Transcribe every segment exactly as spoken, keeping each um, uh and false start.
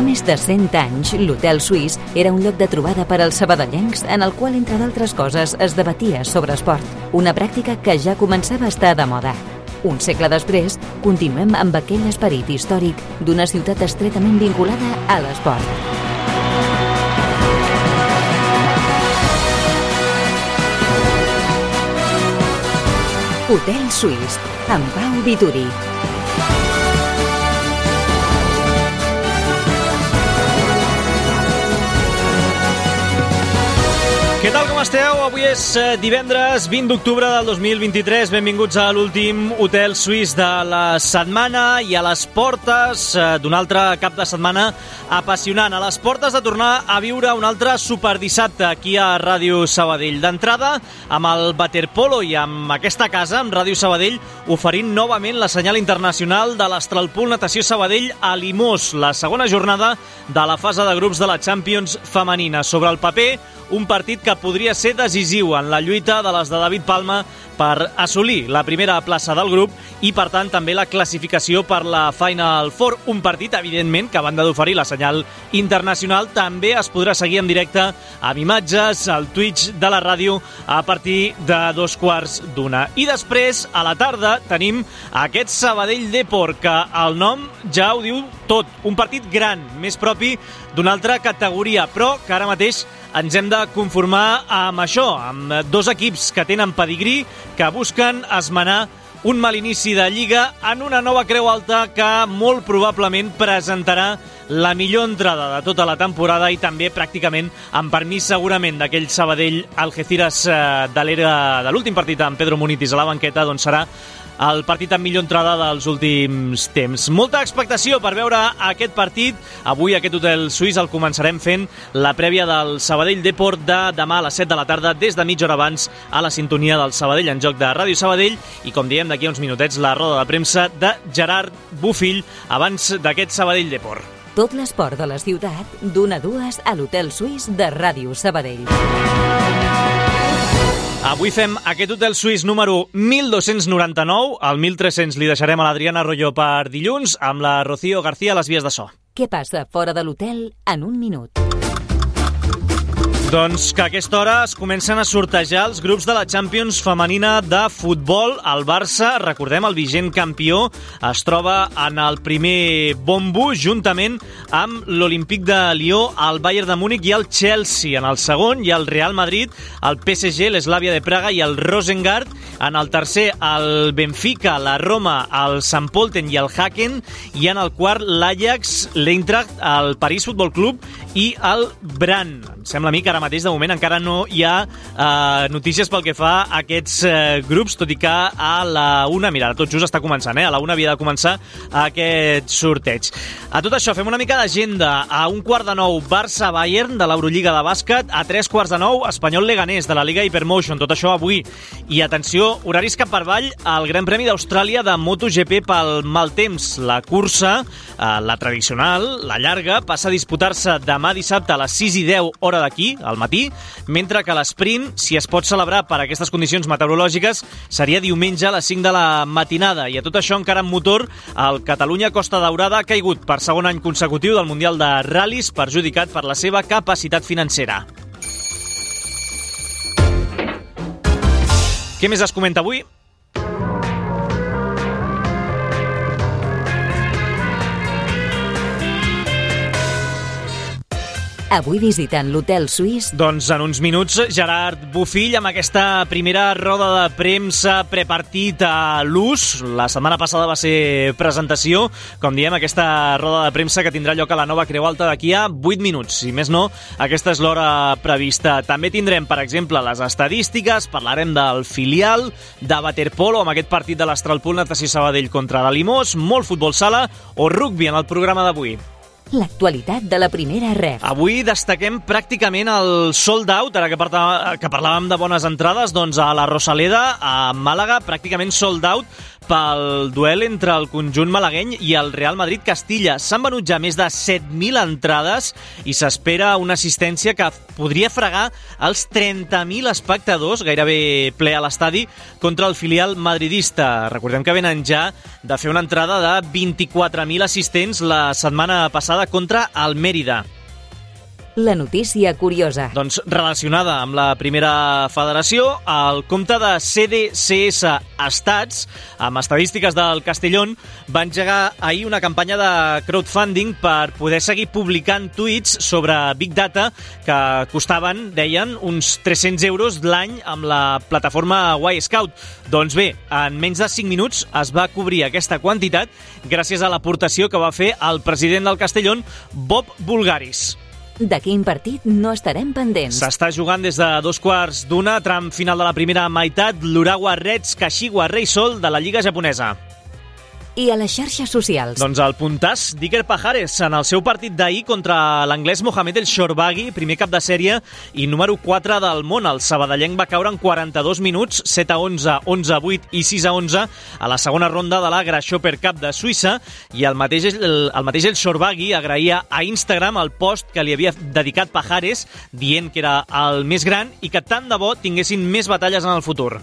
més de cent anys, l'Hotel Suís era un lloc de trobada per als sabadellencs en el qual, entre d'altres coses, es debatia sobre esport, una pràctica que ja començava a estar de moda. Un segle després, continuem amb aquell esperit històric d'una ciutat estretament vinculada a l'esport. Hotel Suís, amb Pau Vituri. Què tal, com esteu? Avui és divendres vint d'octubre del dos mil vint-i-tres. Benvinguts a l'últim Hotel Suís de la setmana i a les portes d'un altre cap de setmana apassionant. A les portes de tornar a viure un altre superdissabte aquí a Ràdio Sabadell. D'entrada, amb el waterpolo i amb aquesta casa, amb Ràdio Sabadell, oferint novament la senyal internacional de l'Astralpool Natació Sabadell a Limós, la segona jornada de la fase de grups de la Champions femenina. Sobre el paper, un partit que podria ser decisiu en la lluita de les de David Palma per assolir la primera plaça del grup i, per tant, també la classificació per la Final Four. Un partit, evidentment, que a banda d'oferir la senyal internacional, també es podrà seguir en directe amb imatges al Twitch de la ràdio a partir de dos quarts d'una. I després, a la tarda, tenim aquest Sabadell Depor, que el nom ja ho diu tot. Un partit gran, més propi d'una altra categoria, però que ara mateix ens hem de conformar amb això, amb dos equips que tenen pedigrí, que busquen esmenar un mal inici de Lliga en una nova creu alta que molt probablement presentarà la millor entrada de tota la temporada i també pràcticament amb permís segurament d'aquell Sabadell Algeciras de l'era de l'últim partit amb Pedro Munitis a la banqueta, doncs serà el partit amb millor entrada dels últims temps. Molta expectació per veure aquest partit. Avui aquest Hotel Suís el començarem fent la prèvia del Sabadell Depor de demà a les set de la tarda, des de mitja hora abans, a la sintonia del Sabadell en joc de Ràdio Sabadell, i com diem, d'aquí a uns minutets la roda de premsa de Gerard Bufill abans d'aquest Sabadell Depor. Tot l'esport de la ciutat, d'una a dues a l'Hotel Suís de Ràdio Sabadell. Avui fem aquest Hotel Suís número mil dos-cents noranta-nou. El mil tres-cents li deixarem a l'Adriana Arroyo per dilluns, amb la Rocío García a les vies de so. Què passa fora de l'hotel en un minut? Doncs que a aquesta hora es comencen a sortejar els grups de la Champions femenina de futbol. El Barça, recordem, el vigent campió, es troba en el primer bombo juntament amb l'Olímpic de Lió, el Bayern de Múnich i el Chelsea. En el segon hi ha el Real Madrid, el P S G, l'Slavia de Praga i el Rosengard. En el tercer, el Benfica, la Roma, el Sant Pölten i el Haken. I en el quart, l'Ajax, l'Eintracht, el París Futbol Club i el Brann. Em sembla a mi que ara mateix, de moment, encara no hi ha eh, notícies pel que fa a aquests eh, grups, tot i que a la una, mira, tot just està començant, eh? A la una havia de començar aquest sorteig. A tot això, fem una mica d'agenda. A un quart de nou, Barça-Bayern de l'Eurolliga de bàsquet. A tres quarts de nou, Espanyol-Leganés de la Liga Hypermotion. Tot això avui. I atenció, horaris cap per avall, el Gran Premi d'Austràlia de MotoGP pel mal temps. La cursa, eh, la tradicional, la llarga, passa a disputar-se demà dissabte a les sis i deu hora d'aquí, al matí, mentre que l'esprint, si es pot celebrar per aquestes condicions meteorològiques, seria diumenge a les cinc de la matinada. I a tot això, encara en motor, el Catalunya Costa Daurada ha caigut per segon any consecutiu del Mundial de Ral·lis, perjudicat per la seva capacitat financera. Què més es comenta avui? Avui visitant l'Hotel Suís. Doncs en uns minuts, Gerard Bufill amb aquesta primera roda de premsa prepartit a l'ús. La setmana passada va ser presentació. Com diem, aquesta roda de premsa que tindrà lloc a la nova Creu Alta d'aquí a vuit minuts. Si més no, aquesta és l'hora prevista. També tindrem, per exemple, les estadístiques, parlarem del filial, de waterpolo amb aquest partit de l'Astralpool Natació Sabadell contra la Limós, molt futbol sala o rugbi en el programa d'avui. L'actualitat de la primera ref. Avui destaquem pràcticament el sold out, ara que, parla, que parlàvem de bones entrades, doncs a la Rosaleda, a Màlaga, pràcticament sold out pel duel entre el conjunt malagueny i el Real Madrid-Castilla. S'han venut ja més de set mil entrades i s'espera una assistència que podria fregar els trenta mil espectadors, gairebé ple a l'estadi, contra el filial madridista. Recordem que venen ja de fer una entrada de vint-i-quatre mil assistents la setmana passada passada contra el Mèrida. La notícia curiosa. Doncs relacionada amb la primera federació, el compte de C D C S Estats, amb estadístiques del Castellón, va engegar ahir una campanya de crowdfunding per poder seguir publicant tuits sobre Big Data que costaven, deien, uns tres-cents euros l'any amb la plataforma Y-Scout. Doncs bé, en menys de cinc minuts es va cobrir aquesta quantitat gràcies a l'aportació que va fer el president del Castellón, Bob Bulgaris. De quin partit no estarem pendents? S'està jugant des de dos quarts d'una, tram final de la primera meitat, l'Urawa Reds Kashiwa Reysol de la Lliga japonesa. I a les xarxes socials? Doncs el puntàs d'Iker Pajares en el seu partit d'ahir contra l'anglès Mohamed El Shorbaghi, primer cap de sèrie i número quatre del món. El sabadellenc va caure en quaranta-dos minuts, set a onze, onze a vuit i sis a onze a la segona ronda de la Grasshopper Cup de Suïssa, i el mateix el, el mateix El Shorbaghi agraïa a Instagram el post que li havia dedicat Pajares, dient que era el més gran i que tant de bo tinguessin més batalles en el futur.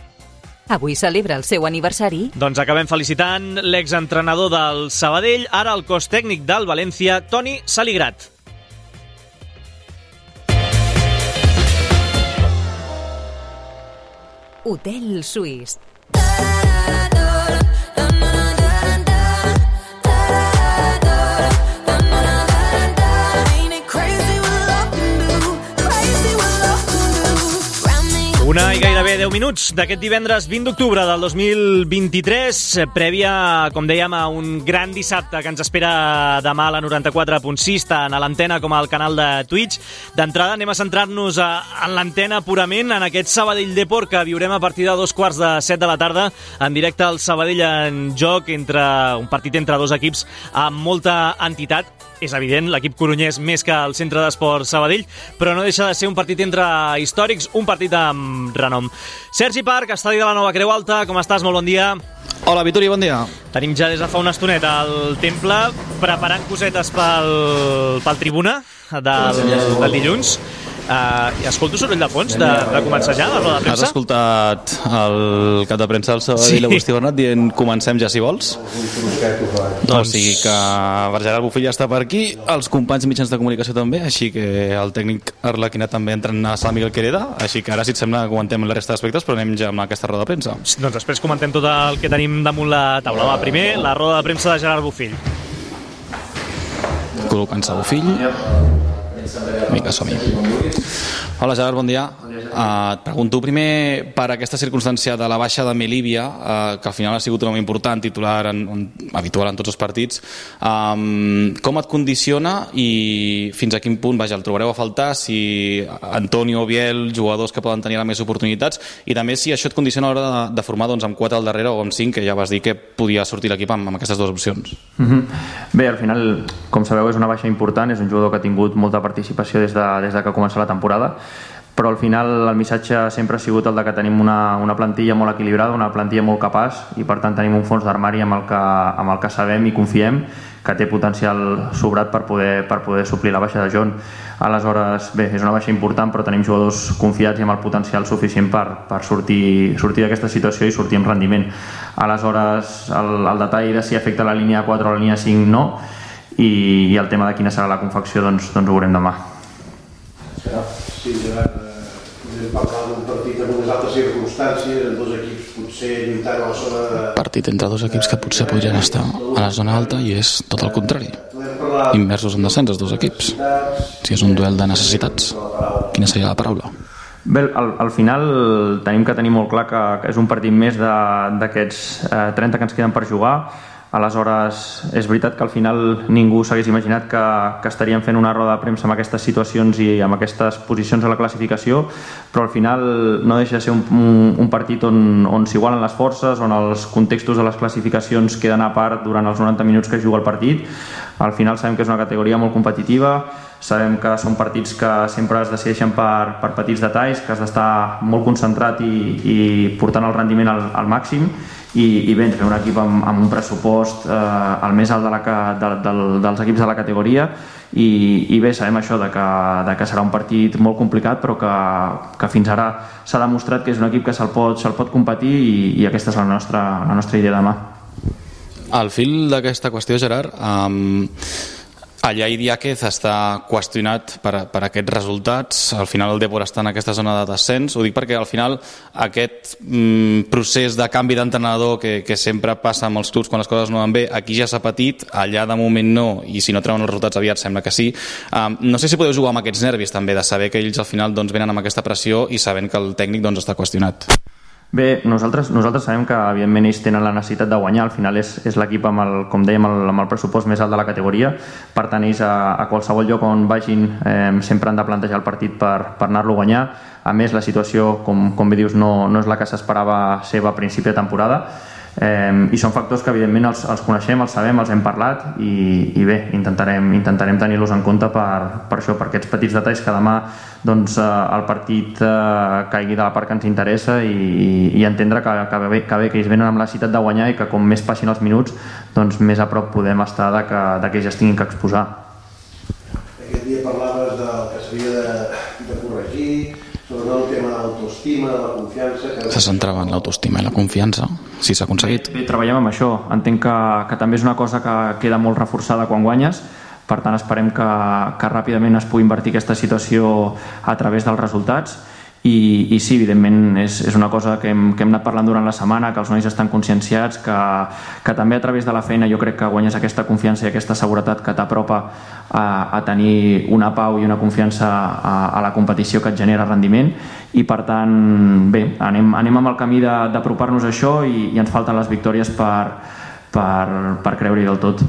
Avui celebra el seu aniversari. Doncs acabem felicitant l'exentrenador del Sabadell, ara el cos tècnic del València, Toni Saligrat. Hotel Suís. Una i gairebé deu minuts d'aquest divendres vint d'octubre del dos mil vint-i-tres, prèvia, com dèiem, a un gran dissabte que ens espera demà a la noranta-quatre punt sis, tant a l'antena com al canal de Twitch. D'entrada anem a centrar-nos a, en l'antena purament, en aquest Sabadell Depor que viurem a partir de dos quarts de set de la tarda, en directe al Sabadell en joc, entre un partit entre dos equips amb molta entitat. És evident, l'equip coronyès més que el Centre d'Esport Sabadell, però no deixa de ser un partit entre històrics, un partit amb renom. Sergi Parc, estadi de la Nova Creu Alta, com estàs? Molt bon dia. Hola, Vituri, bon dia. Tenim ja des de fa una estoneta al temple preparant cosetes pel, pel tribuna del, del dilluns. Uh, escolto soroll de fons de, de començar ja la roda de premsa? Has escoltat el cap de premsa del Sabadell, sí. Agustí Bernat, dient comencem ja si vols? Doncs... O sigui que Gerard Bofill ja està per aquí, els companys mitjans de comunicació també, així que el tècnic Arlequina també entra a Sala Miguel Quereda, així que ara, si et sembla, comentem la resta d'aspectes, però anem ja amb aquesta roda de premsa. Doncs després comentem tot el que tenim damunt la taula. Va, primer, la roda de premsa de Gerard Bofill. Col·locant-se Bofill. Vinga, som-hi. Hola, Gerard, bon dia. Uh, et pregunto primer per aquesta circumstància de la baixa de Melívia, uh, que al final ha sigut un home important, titular en, en, habitual en tots els partits. Um, com et condiciona i fins a quin punt, vaja, el trobareu a faltar, si Antonio, Biel, jugadors que poden tenir més oportunitats, i també si això et condiciona a l'hora de, de formar doncs, amb quatre al darrere o amb cinc, que ja vas dir que podia sortir l'equip amb, amb aquestes dues opcions. Mm-hmm. Bé, al final, com sabeu, és una baixa important, és un jugador que ha tingut molta participació des de, des de que ha començat la temporada, però al final el missatge sempre ha sigut el de que tenim una, una plantilla molt equilibrada, una plantilla molt capaç, i per tant tenim un fons d'armari amb el que, amb el que sabem i confiem que té potencial sobrat per poder, per poder suplir la baixa de John. Aleshores, bé, és una baixa important, però tenim jugadors confiats i amb el potencial suficient per, per sortir, sortir d'aquesta situació i sortir amb rendiment. Aleshores, el, el detall de si afecta la línia quatre o la línia cinc no, i, i el tema de quina serà la confecció doncs, doncs ho veurem demà. Sí, Gerard, podem parlar d'un partit amb unes altres circumstàncies, amb dos equips potser lluitant a la zona... De... Partit entre dos equips que potser podrien estar a la zona alta i és tot el contrari. Immersos en descens els dos equips. Si és un duel de necessitats, quina seria la paraula? Bé, al, al final tenim que tenir molt clar que, que és un partit més d'aquests eh, trenta que ens queden per jugar. Aleshores, és veritat que al final ningú s'hagués imaginat que, que estaríem fent una roda de premsa amb aquestes situacions i amb aquestes posicions a la classificació, però al final no deixa de ser un, un, un partit on, on s'igualen les forces, on els contextos de les classificacions queden a part durant els noranta minuts que es juga el partit. Al final sabem que és una categoria molt competitiva, sabem que són partits que sempre es decideixen per, per petits detalls, que has d'estar molt concentrat i, i portant el rendiment al, al màxim, i, i bé, ens ve un equip amb, amb un pressupost eh, el més alt de la, de, de, dels equips de la categoria, i, i bé, sabem això de que, de que serà un partit molt complicat, però que, que fins ara s'ha demostrat que és un equip que se'l pot, se'l pot competir, i, i aquesta és la nostra, la nostra idea demà. Al fil d'aquesta qüestió, Gerard, um, Allà Idiáquez està qüestionat per, per aquests resultats. Al final el Depor està en aquesta zona de descens. Ho dic perquè al final aquest mm, procés de canvi d'entrenador que, que sempre passa amb els clubs quan les coses no van bé, aquí ja s'ha patit, allà de moment no, i si no treuen els resultats aviat sembla que sí. Um, no sé si podeu jugar amb aquests nervis també, de saber que ells al final doncs, venen amb aquesta pressió i sabent que el tècnic doncs, està qüestionat. Bé, nosaltres, nosaltres sabem que evidentment ells tenen la necessitat de guanyar, al final és, és l'equip amb el, com dèiem, el, amb el pressupost més alt de la categoria, per tant ells a, a qualsevol lloc on vagin eh, sempre han de plantejar el partit per, per anar-lo a guanyar. A més, la situació, com, com bé dius, no, no és la que s'esperava seva a principi de temporada, eh, i són factors que evidentment els, els coneixem, els sabem, els hem parlat i, i bé, intentarem, intentarem tenir-los en compte per, per això, per aquests petits detalls que demà doncs, eh, el partit eh, caigui de la part que ens interessa i, i, i entendre que, que, bé, que bé que ells venen amb la necessitat de guanyar i que com més passin els minuts doncs més a prop podem estar de que, de que ells es tinguin que exposar. Aquest dia parlaves del que s'havia de, de corregir, sobre el tema de l'autoestima, de la confiança... Que... Se centrava en l'autoestima i la confiança, si s'ha aconseguit. Bé, bé, treballem amb això. Entenc que, que també és una cosa que queda molt reforçada quan guanyes, per tant esperem que, que ràpidament es pugui invertir aquesta situació a través dels resultats i, i sí, evidentment és, és una cosa que hem, que hem anat parlant durant la setmana, que els nois estan conscienciats, que, que també a través de la feina jo crec que guanyes aquesta confiança i aquesta seguretat que t'apropa a, a tenir una pau i una confiança a, a la competició que et genera rendiment i per tant bé, anem, anem amb el camí d'apropar-nos a això i, i ens falten les victòries per, per, per creure-hi del tot.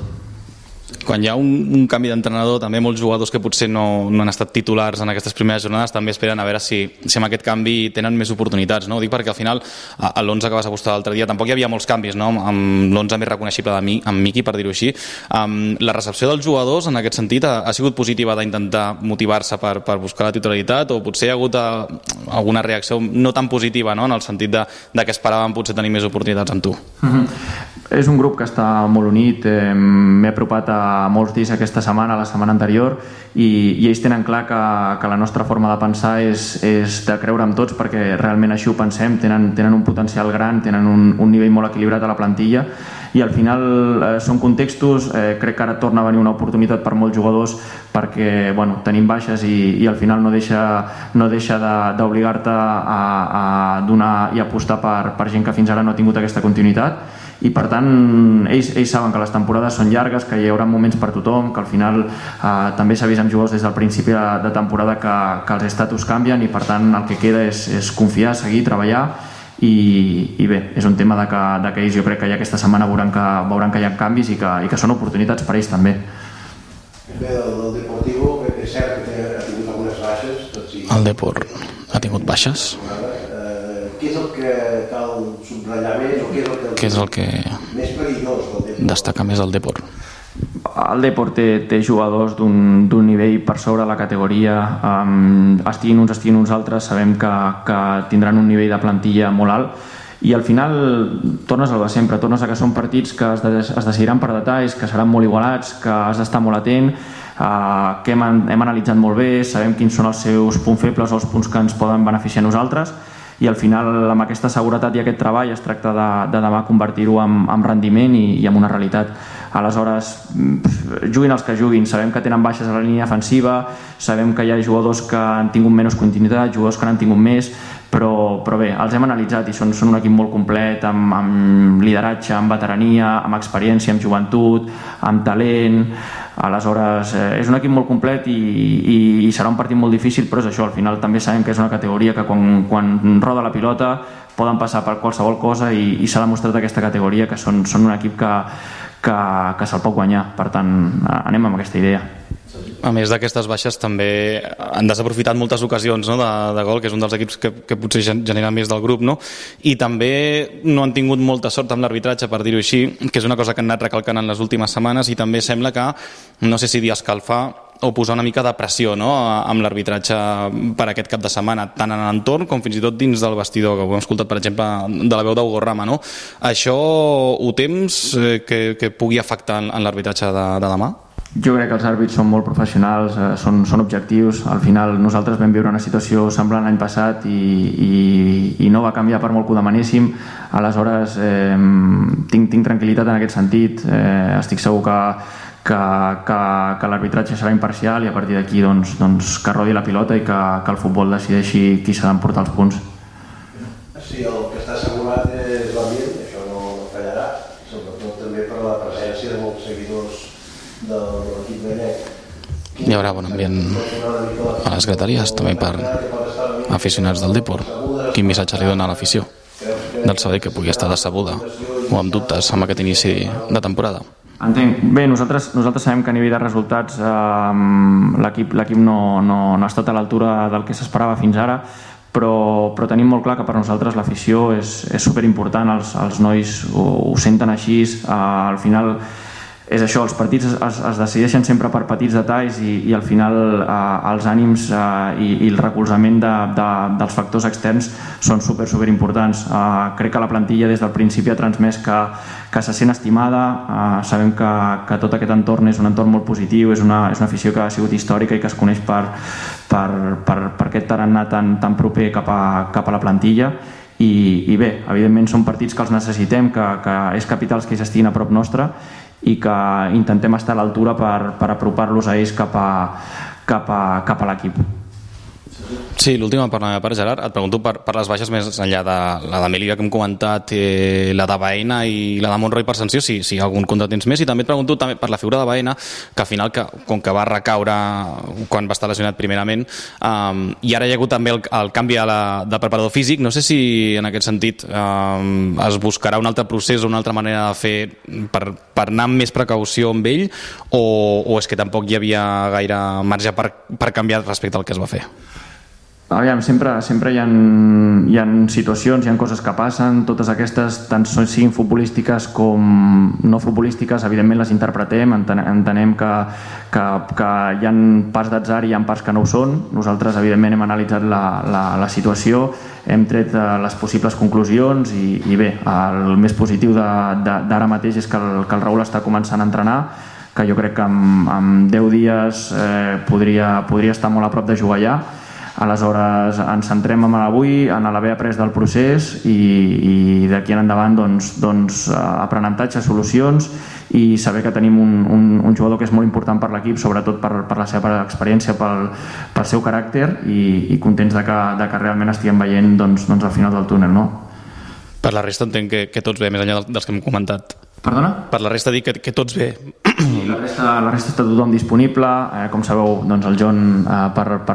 Quan hi ha un, un canvi d'entrenador, també molts jugadors que potser no, no han estat titulars en aquestes primeres jornades també esperen a veure si, si amb aquest canvi tenen més oportunitats, no? Ho dic perquè al final a l'onze que vas apostar l'altre dia tampoc hi havia molts canvis, no? Amb l'onze més reconeixible de mi, amb Miqui, per dir-ho així. Um, la recepció dels jugadors en aquest sentit ha, ha sigut positiva d'intentar motivar-se per, per buscar la titularitat o potser hi ha hagut a, alguna reacció no tan positiva, no? En el sentit de, de que esperaven potser tenir més oportunitats amb tu? Mm-hmm. És un grup que està molt unit, eh, m'he apropat a molts dies aquesta setmana, la setmana anterior i, i ells tenen clar que, que la nostra forma de pensar és, és de creure en tots perquè realment així ho pensem, tenen, tenen un potencial gran, tenen un, un nivell molt equilibrat a la plantilla i al final eh, són contextos, eh, crec que ara torna a venir una oportunitat per molts jugadors perquè bueno, tenim baixes i, i al final no deixa, no deixa d'obligar-te a, a donar i apostar per, per gent que fins ara no ha tingut aquesta continuïtat i per tant ells, ells saben que les temporades són llargues, que hi haurà moments per tothom, que al final eh, també s'ha vist amb jugadors des del principi de, de temporada que, que els estatus canvien i per tant el que queda és, és confiar, seguir, treballar i, i bé, és un tema de que, de que ells jo crec que ja aquesta setmana veuran que, veuran que hi ha canvis i que, i que són oportunitats per ells també. Bé, del, del Deportivo és cert que té, ha tingut algunes baixes tot i... El Depor ha tingut baixes? Què és el que cal subratllar més o què és el que, què és el que més perillós del Depor? Destaca més el Depor? El Depor té, té jugadors d'un nivell per sobre la categoria, um, estiguin uns, estiguin uns altres, sabem que, que tindran un nivell de plantilla molt alt i al final tornes al de sempre, tornes a que són partits que es, de, es decidiran per detalls, que seran molt igualats, que has d'estar molt atent, uh, que hem, hem analitzat molt bé, sabem quins són els seus punts febles o els punts que ens poden beneficiar a nosaltres i al final amb aquesta seguretat i aquest treball es tracta de, de demà convertir-ho en, en rendiment i, i en una realitat. Aleshores, juguin els que juguin, sabem que tenen baixes a la línia defensiva, sabem que hi ha jugadors que han tingut menys continuïtat, jugadors que n'han tingut més, però, però bé, els hem analitzat i són, són un equip molt complet, amb, amb lideratge, amb veterania, amb experiència, amb joventut, amb talent. Aleshores, eh, és un equip molt complet i, i, i serà un partit molt difícil, però és això, al final també sabem que és una categoria que quan, quan roda la pilota poden passar per qualsevol cosa i, i s'ha demostrat aquesta categoria que són, són un equip que, que, que se'l pot guanyar, per tant anem amb aquesta idea. A més d'aquestes baixes també han desaprofitat moltes ocasions, no, de, de gol, que és un dels equips que, que potser genera més del grup, no? I també no han tingut molta sort amb l'arbitratge, per dir-ho així, que és una cosa que han anat recalcant en les últimes setmanes i també sembla que, no sé si dir escalfar o posar una mica de pressió, no, amb l'arbitratge per aquest cap de setmana, tant en l'entorn com fins i tot dins del vestidor, que ho hem escoltat per exemple de la veu d'Hugo Rama, no? Això ho temps eh, que, que pugui afectar en, en l'arbitratge de, de demà? Jo crec que els àrbits són molt professionals, eh, són, són objectius. Al final nosaltres vam viure una situació semblant l'any passat i, i, i no va canviar per molt que ho demanéssim. Aleshores eh, tinc, tinc tranquil·litat en aquest sentit, eh, estic segur que, que, que, que l'arbitratge serà imparcial i a partir d'aquí doncs, doncs, que rodi la pilota i que, que el futbol decideixi qui s'ha d'emportar els punts. Sí, el que està assegurat és l'ambient, això no fallarà, sobretot també per la presència de molts seguidors de l'equip gallec. Hi haurà bon ambient a les grateries, també per aficionats del Depor. Quin missatge li dona a l'afició del Sabadell que pugui estar decebuda o amb dubtes amb aquest inici de temporada? Entenc. Bé, nosaltres, nosaltres sabem que a nivell de resultats eh, l'equip l'equip no, no, no ha estat a l'altura del que s'esperava fins ara, però, però tenim molt clar que per nosaltres l'afició és, és superimportant, els, els nois ho, ho senten així, eh, al final és això, els partits es, es decideixen sempre per petits detalls i, i al final eh, els ànims eh, i, i el recolzament de, de, dels factors externs són super, super importants. Eh, crec que la plantilla des del principi ha transmès que, que se sent estimada, eh, sabem que, que tot aquest entorn és un entorn molt positiu, és una, és una afició que ha sigut històrica i que es coneix per, per, per, per aquest tarannà tan, tan proper cap a, cap a la plantilla. I, i bé, evidentment són partits que els necessitem, que, que és capital que ells estiguin a prop nostre i que intentem estar a l'altura per, per apropar-los a ells cap a, cap a, cap a l'equip. Sí, l'última per la meva part, Gerard, et pregunto per, per les baixes més enllà de la de Melilla que hem comentat, eh, la de Baena i la de Montroi per sanció, si, si hi ha algun contratemps més, i també et pregunto també per la figura de Baena, que al final, que, com que va recaure quan va estar lesionat primerament, um, i ara hi ha hagut també el, el canvi a la, de preparador físic, no sé si en aquest sentit um, es buscarà un altre procés o una altra manera de fer per, per anar amb més precaució amb ell, o, o és que tampoc hi havia gaire marge per, per canviar respecte al que es va fer? Aviam, sempre, sempre hi ha, hi ha situacions, hi ha coses que passen, totes aquestes, tant siguin futbolístiques com no futbolístiques, evidentment les interpretem, entenem que, que, que hi ha parts d'atzar i hi ha parts que no ho són. Nosaltres, evidentment, hem analitzat la, la, la situació, hem tret les possibles conclusions i, i bé, el més positiu d'ara mateix és que el, que el Raül està començant a entrenar, que jo crec que en, en deu dies eh, podria, podria estar molt a prop de jugar allà. Aleshores ens centrem en l'avui, en l'haver après del procés i, i d'aquí en endavant doncs, doncs, aprenentatge, solucions i saber que tenim un, un, un jugador que és molt important per l'equip, sobretot per, per la seva experiència, pel, pel seu caràcter i, i contents de que, de que realment estiguem veient doncs, doncs, al final del túnel, no? Per la resta entenc que, que tots bé, més enllà dels que hem comentat. Perdona? Per la resta dic que, que tots bé. Sí, la resta, la resta està tothom disponible, eh, com sabeu doncs el John eh, per, per,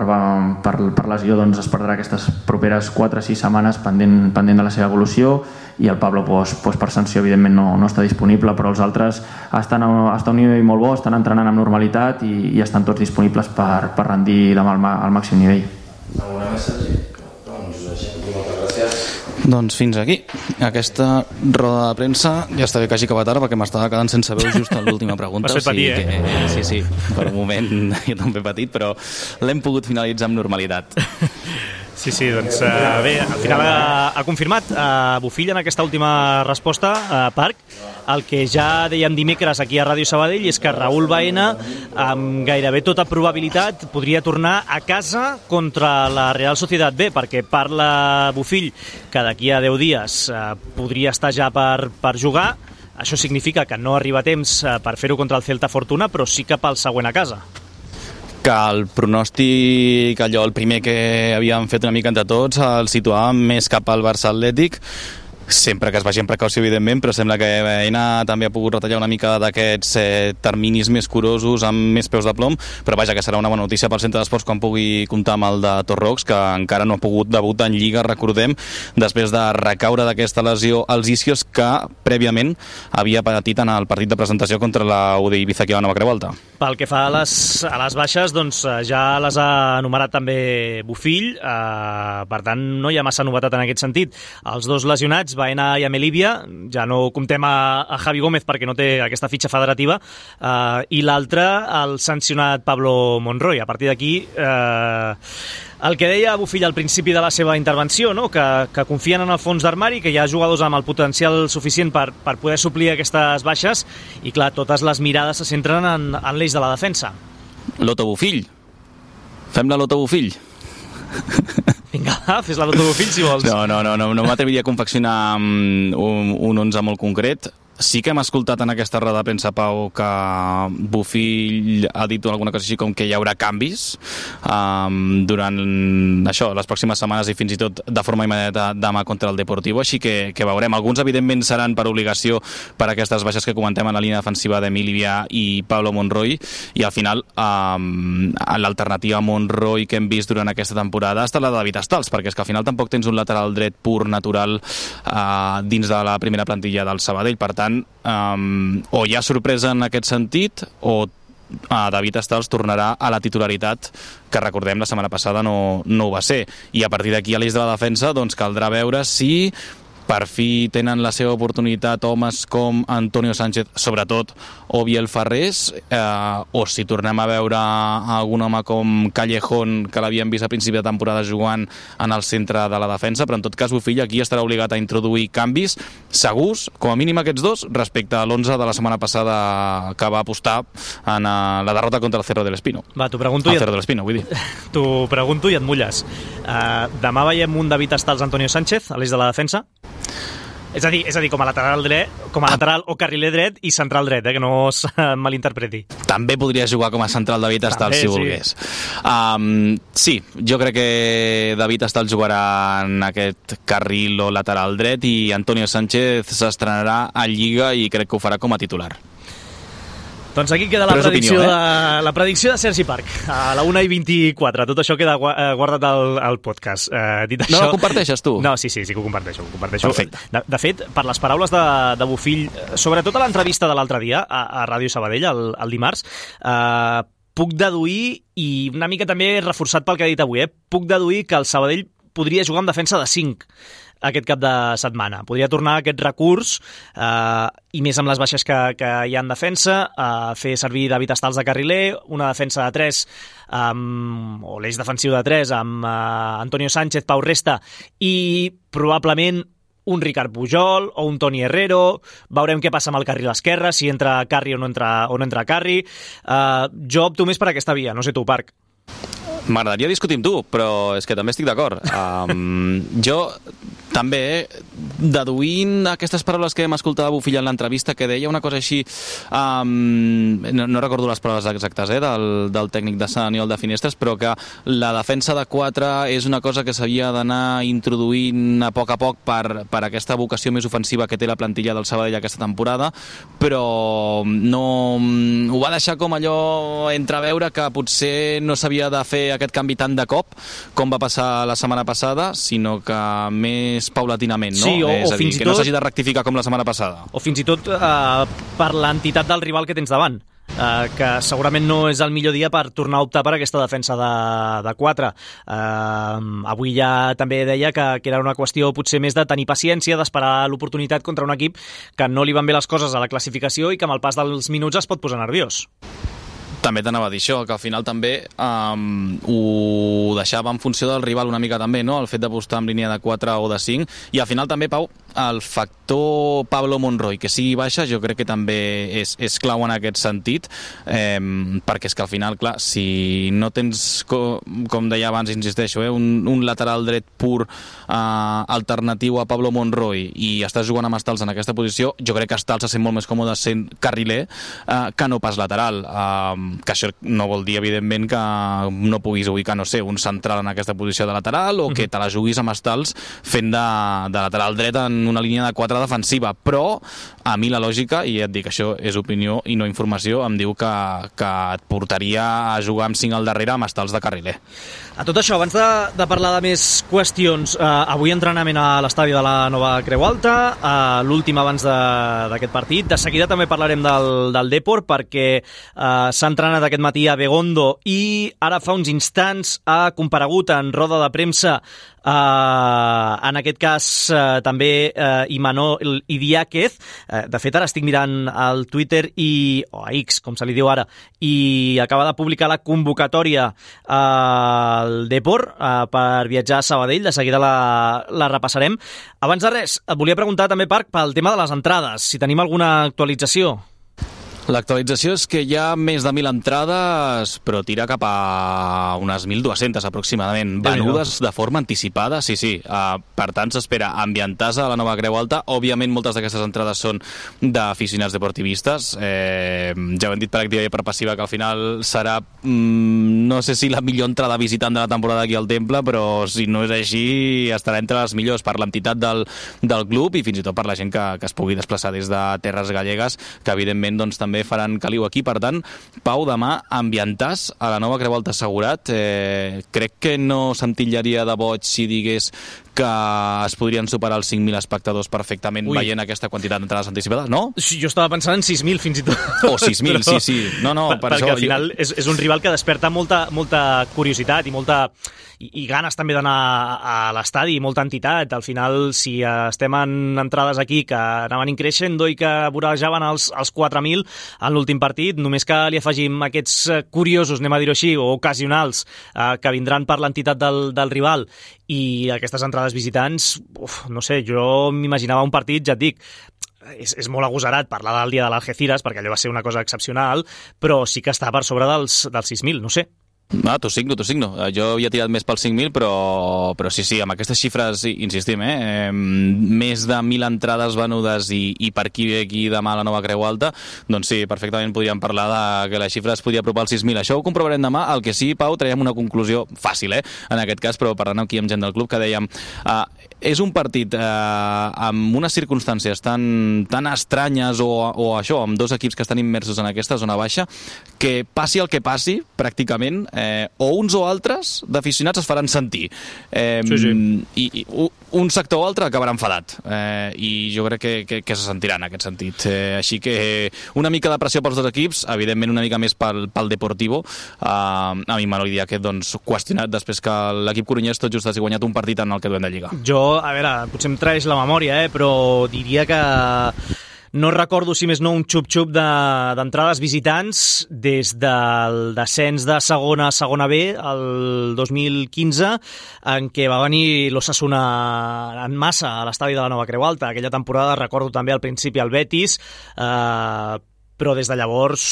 per, per lesió doncs, es perdrà aquestes properes quatre o sis setmanes pendent, pendent de la seva evolució i el Pablo doncs, doncs, per sanció evidentment no, no està disponible, però els altres estan a, estan a un nivell molt bo, estan entrenant amb normalitat i, i estan tots disponibles per, per rendir demà al, al màxim nivell. Alguna més, Sergi? Doncs així, moltes gràcies. Doncs fins aquí. Aquesta roda de premsa ja està bé que hagi acabat ara perquè m'estava quedant sense veu just a l'última pregunta. M'has fet patir, o sigui eh? Que, sí, sí, per un moment jo també he patit, però l'hem pogut finalitzar amb normalitat. Sí, sí, doncs uh, bé, al final ha, ha confirmat uh, Bofill en aquesta última resposta a uh, Parc. El que ja dèiem dimecres aquí a Ràdio Sabadell és que Raül Baena, amb gairebé tota probabilitat, podria tornar a casa contra la Real Sociedad B, perquè parla Bofill que d'aquí a deu dies uh, podria estar ja per, per jugar. Això significa que no arriba a temps uh, per fer-ho contra el Celta Fortuna, però sí que pel següent a casa. Que el pronòstic, allò, el primer que havíem fet una mica entre tots, el situàvem més cap al Barça Atlètic, sempre que es vagi amb precaució, evidentment, però sembla que Baena també ha pogut retallar una mica d'aquests eh, terminis més curosos amb més peus de plom, però vaja, que serà una bona notícia pel centre d'esports quan pugui comptar amb el de Torrox, que encara no ha pogut debutar en Lliga, recordem, després de recaure d'aquesta lesió als isquios que prèviament havia patit en el partit de presentació contra la U D Ibiza que va a Nova Creu Alta. Pel que fa a les, a les baixes, doncs ja les ha enumerat també Bofill, eh, per tant no hi ha massa novetat en aquest sentit. Els dos lesionats, Baena i Amelívia, ja no comptem a, a Javi Gómez perquè no té aquesta fitxa federativa, eh, i l'altre, el sancionat Pablo Monroy. A partir d'aquí, eh, el que deia Bofill al principi de la seva intervenció, no? que, que confien en el fons d'armari, que hi ha jugadors amb el potencial suficient per, per poder suplir aquestes baixes, i clar, totes les mirades se centren en, en l'eix de la defensa. Loto Bofill. Fem la Loto Bofill. Vinga, fes la Loto Bofill si vols. No, no, no, no, no m'atreviria a confeccionar un, un onze molt concret. sí que hem escoltat en aquesta roda de premsa, Pau, que Bofill ha dit alguna cosa així com que hi haurà canvis um, durant això, les pròximes setmanes i fins i tot de forma immediata demà contra el Deportivo, així que, que veurem. Alguns, evidentment, seran per obligació per aquestes baixes que comentem en la línia defensiva d'Emilivia i Pablo Monroy, i al final um, l'alternativa a Monroy que hem vist durant aquesta temporada ha estat la de David Stals, perquè és que al final tampoc tens un lateral dret pur, natural, uh, dins de la primera plantilla del Sabadell. Per tant, um, o hi ha sorpresa en aquest sentit, o uh, David Stals tornarà a la titularitat, que recordem la setmana passada no, no ho va ser. I a partir d'aquí, a l'eix de la defensa, doncs caldrà veure si per fi tenen la seva oportunitat homes com Antonio Sánchez, sobretot, o Biel Ferrés, eh, o si tornem a veure algun home com Callejón, que l'havíem vist a principi de temporada jugant en el centre de la defensa, però en tot cas Bofill aquí estarà obligat a introduir canvis segurs, com a mínim aquests dos, respecte a l'onze de la setmana passada que va apostar en uh, la derrota contra el Cerro del Espino. Va, t'ho pregunto, el i et... Cerro del Espino, vull dir. T'ho pregunto i et mulles. Uh, demà veiem un David Stals Antonio Sánchez a l'eix de la defensa? És a dir, és a dir, com a lateral dret, com a lateral o carriler dret i central dret, eh, que no es malinterpreti. També podria jugar com a central David Stals, si volgués. Sí. Um, sí, jo crec que David Stals jugarà en aquest carril o lateral dret i Antonio Sánchez s'estrenarà a Lliga i crec que ho farà com a titular. Doncs aquí queda la predicció, opinió, eh? de, la predicció de Sergi Parc, a la una i vint-i-quatre. Tot això queda guardat al, al podcast. Eh, dit això... No ho comparteixes, tu? No, sí, sí, sí que ho comparteixo. Ho comparteixo. Perfecte. De, de fet, per les paraules de, de Bofill, sobretot a l'entrevista de l'altre dia, a, a Ràdio Sabadell, el, el dimarts, eh, puc deduir, i una mica també reforçat pel que ha dit avui, eh, puc deduir que el Sabadell podria jugar amb defensa de cinc aquest cap de setmana. Podria tornar aquest recurs, eh, i més amb les baixes que, que hi ha en defensa, eh, fer servir David Stals de carriler, una defensa de tres, um, o l'eix defensiu de tres, amb eh, Antonio Sánchez, Pau Resta, i probablement un Ricard Pujol o un Toni Herrero. Veurem què passa amb el carril esquerre, si entra Carri o no entra, o no entra Carri. Uh, jo opto més per aquesta via, no sé tu, Parc. M'agradaria discutir amb tu, però és que també estic d'acord. Um, jo també, deduint aquestes paraules que hem escoltat a Bofill en l'entrevista, que deia una cosa així, um, no, no recordo les paraules exactes eh, del, del tècnic de Sant Aniol de Finestres, però que la defensa de quatre és una cosa que s'havia d'anar introduint a poc a poc per, per aquesta vocació més ofensiva que té la plantilla del Sabadell aquesta temporada, però no ho va deixar com allò entreveure que potser no s'havia de fer aquest canvi tant de cop com va passar la setmana passada, sinó que més paulatinament, no? Sí, o, és o a dir, fins i que tot, no s'hagi de rectificar com la setmana passada. O fins i tot eh, per l'entitat del rival que tens davant, eh, que segurament no és el millor dia per tornar a optar per aquesta defensa de, de quatre. Eh, avui ja també deia que, que era una qüestió potser més de tenir paciència, d'esperar l'oportunitat contra un equip que no li van bé les coses a la classificació i que amb el pas dels minuts es pot posar nerviós. També t'anava a dir això, que al final també um, ho deixava en funció del rival una mica també, no? El fet d'apostar en línia de quatre o de cinc, i al final també, Pau, el factor Pablo Monroy, que sigui baixa, jo crec que també és, és clau en aquest sentit, eh, perquè és que al final, clar, si no tens, com, com deia abans, insisteixo, eh, un, un lateral dret pur eh, alternatiu a Pablo Monroy i estàs jugant amb Stals en aquesta posició, jo crec que Stals se sent molt més còmode sent carriler eh, que no pas lateral. Eh, que això no vol dir, evidentment, que no puguis ubicar, no sé, un central en aquesta posició de lateral o que te la juguis amb Stals fent de, de lateral dret en una línia de quatre defensiva, però a mi la lògica, i et dic, això és opinió i no informació, em diu que, que et portaria a jugar amb cinc al darrere amb Stals de carriler. A tot això, abans de, de parlar de més qüestions, eh, avui entrenament a l'estadi de la Nova Creu Alta, eh, l'últim abans d'aquest partit. De seguida també parlarem del, del Depor, perquè eh, s'ha entrenat aquest matí a Begondo i ara fa uns instants ha comparegut en roda de premsa, eh, en aquest cas eh, també eh, Imanol Idiáquez. Eh, de fet, ara estic mirant al Twitter i, o a X, com se li diu ara, i acaba de publicar la convocatòria al eh, Depor eh, per viatjar a Sabadell. De seguida la, la repassarem. Abans de res, et volia preguntar també, Parc, pel tema de les entrades, si tenim alguna actualització. L'actualització és que hi ha més de mil entrades, però tira cap a unes mil dues-centes aproximadament, venudes de forma anticipada, sí, sí. Uh, per tant, s'espera ambientar a la nova Creu Alta. Òbviament, moltes d'aquestes entrades són d'aficionats deportivistes. Eh, ja ho hem dit per activa i per passiva, que al final serà, mm, no sé si la millor entrada visitant de la temporada aquí al Temple, però si no és així, estarà entre les millors per l'entitat del, del club i fins i tot per la gent que, que es pugui desplaçar des de terres gallegues, que evidentment doncs, també faran caliu aquí. Per tant, Pau, demà ambientàs a la nova Creu Alta assegurat. Eh, crec que no se'm titllaria de boig si digués que es podrien superar els cinc mil espectadors perfectament. Ui. Veient aquesta quantitat d'entrades anticipades, no? Sí, jo estava pensant en sis mil fins i tot. O sis mil, però, sí, sí. No, no, per, per perquè això, al final jo... és, és un rival que desperta molta, molta curiositat i molta i, i ganes també d'anar a l'estadi i molta entitat. Al final, si estem en entrades aquí que anaven increixent i que vorejaven els, els quatre mil en l'últim partit, només que li afegim aquests curiosos, anem a dir-ho així, o ocasionals, eh, que vindran per l'entitat del, del rival i aquestes entrades visitants, uf, no sé, jo m'imaginava un partit, ja et dic, és, és molt agosarat parlar del dia de l'Algeciras, perquè allò va ser una cosa excepcional, però sí que està per sobre dels, dels sis mil, no sé. Ah, t'ho signo, t'ho signo. Jo havia tirat més pels cinc mil, però, però sí, sí, amb aquestes xifres, insistim, eh, més de mil entrades venudes i, i per qui ve aquí demà a la nova Creu Alta, doncs sí, perfectament podríem parlar de que la xifra es podia apropar als sis mil. Això ho comprovarem demà. El que sí, Pau, traiem una conclusió fàcil, eh, en aquest cas, però parlant aquí amb gent del club, que dèiem, eh, és un partit eh, amb unes circumstàncies tan, tan estranyes o, o això, amb dos equips que estan immersos en aquesta zona baixa, que passi el que passi, pràcticament, Eh, o uns o altres d'aficionats es faran sentir. Eh, sí, sí. I, i un sector o altre acabarà enfadat. Eh, I jo crec que, que, que se sentirà en aquest sentit. Eh, així que una mica de pressió pels dos equips, evidentment una mica més pel, pel Deportivo. Eh, a mi m'agradaria que doncs, qüestionat després que l'equip corunyès tot just hagi guanyat un partit en el que duem de Lliga. Jo, a veure, potser em traeix la memòria, eh, però diria que no recordo, si més no, un xup-xup d'entrades de, visitants des del descens de segona a segona B el dos mil quinze, en què va venir l'Osasuna en massa a l'estadi de la nova Creu Alta. Aquella temporada recordo també al principi el Betis, eh, però des de llavors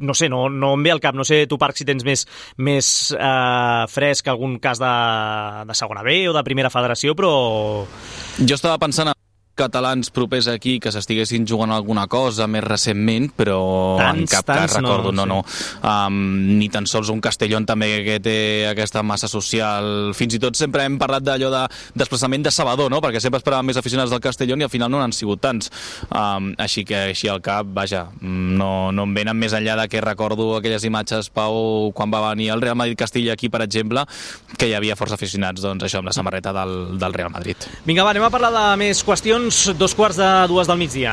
no sé, no, no em ve al cap, no sé tu, Parc, si tens més, més eh, fresc algun cas de, de segona B o de primera federació, però... Jo estava pensant en catalans propers aquí que s'estiguessin jugant alguna cosa més recentment, però tants, en cap cas recordo, no, no. no. Um, ni tan sols un Castellón també que té aquesta massa social. Fins i tot sempre hem parlat d'allò de desplaçament de Sabador, no? Perquè sempre esperàvem més aficionats del Castellón i al final no n'han sigut tants. Um, així que així al cap, vaja, no, no em venen més enllà de que recordo aquelles imatges, Pau, quan va venir el Real Madrid-Castilla aquí, per exemple, que hi havia força aficionats, doncs això, amb la samarreta del, del Real Madrid. Vinga, va, anem a parlar de més qüestions. Dos quarts de dues del migdia.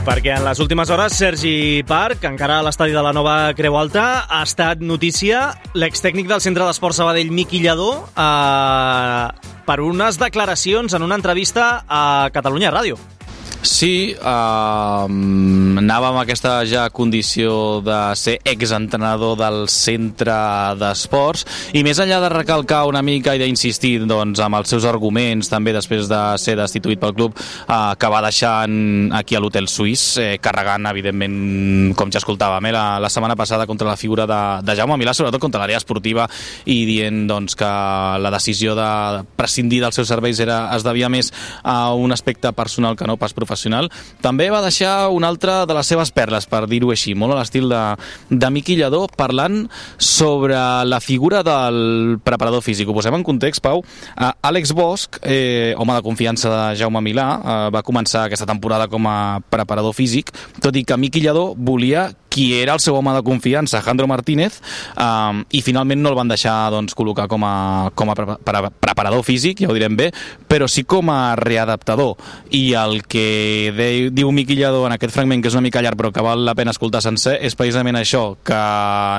Perquè en les últimes hores Sergi Parc, encara a l'estadi de la nova Creu Alta, ha estat notícia l'extècnic del Centre d'Esport Sabadell, Miqui Lladó, eh, per unes declaracions en una entrevista a Catalunya Ràdio. Sí, eh, anava amb aquesta ja condició de ser exentrenador del centre d'esports i més enllà de recalcar una mica i d'insistir doncs, amb els seus arguments també després de ser destituït pel club, eh, que va deixar aquí a l'Hotel Suís, eh, carregant evidentment, com ja escoltàvem, eh, la, la setmana passada contra la figura de, de Jaume Milà, sobretot contra l'àrea esportiva, i dient doncs, que la decisió de prescindir dels seus serveis era, es devia més a un aspecte personal que no pas professional. També va deixar una altra de les seves perles, per dir-ho així, molt a l'estil de, de Miqui Lladó, parlant sobre la figura del preparador físic. Ho posem en context, Pau. Uh, Àlex Bosch, eh, home de confiança de Jaume Milà, uh, va començar aquesta temporada com a preparador físic, tot i que Miqui Lladó volia qui era el seu home de confiança, Jandro Martínez, um, i finalment no el van deixar doncs, col·locar com a, com a pre pre preparador físic, ja ho direm bé, però sí com a readaptador. I el que de, diu Miqui Lladó en aquest fragment, que és una mica llarg però que val la pena escoltar sencer, és precisament això, que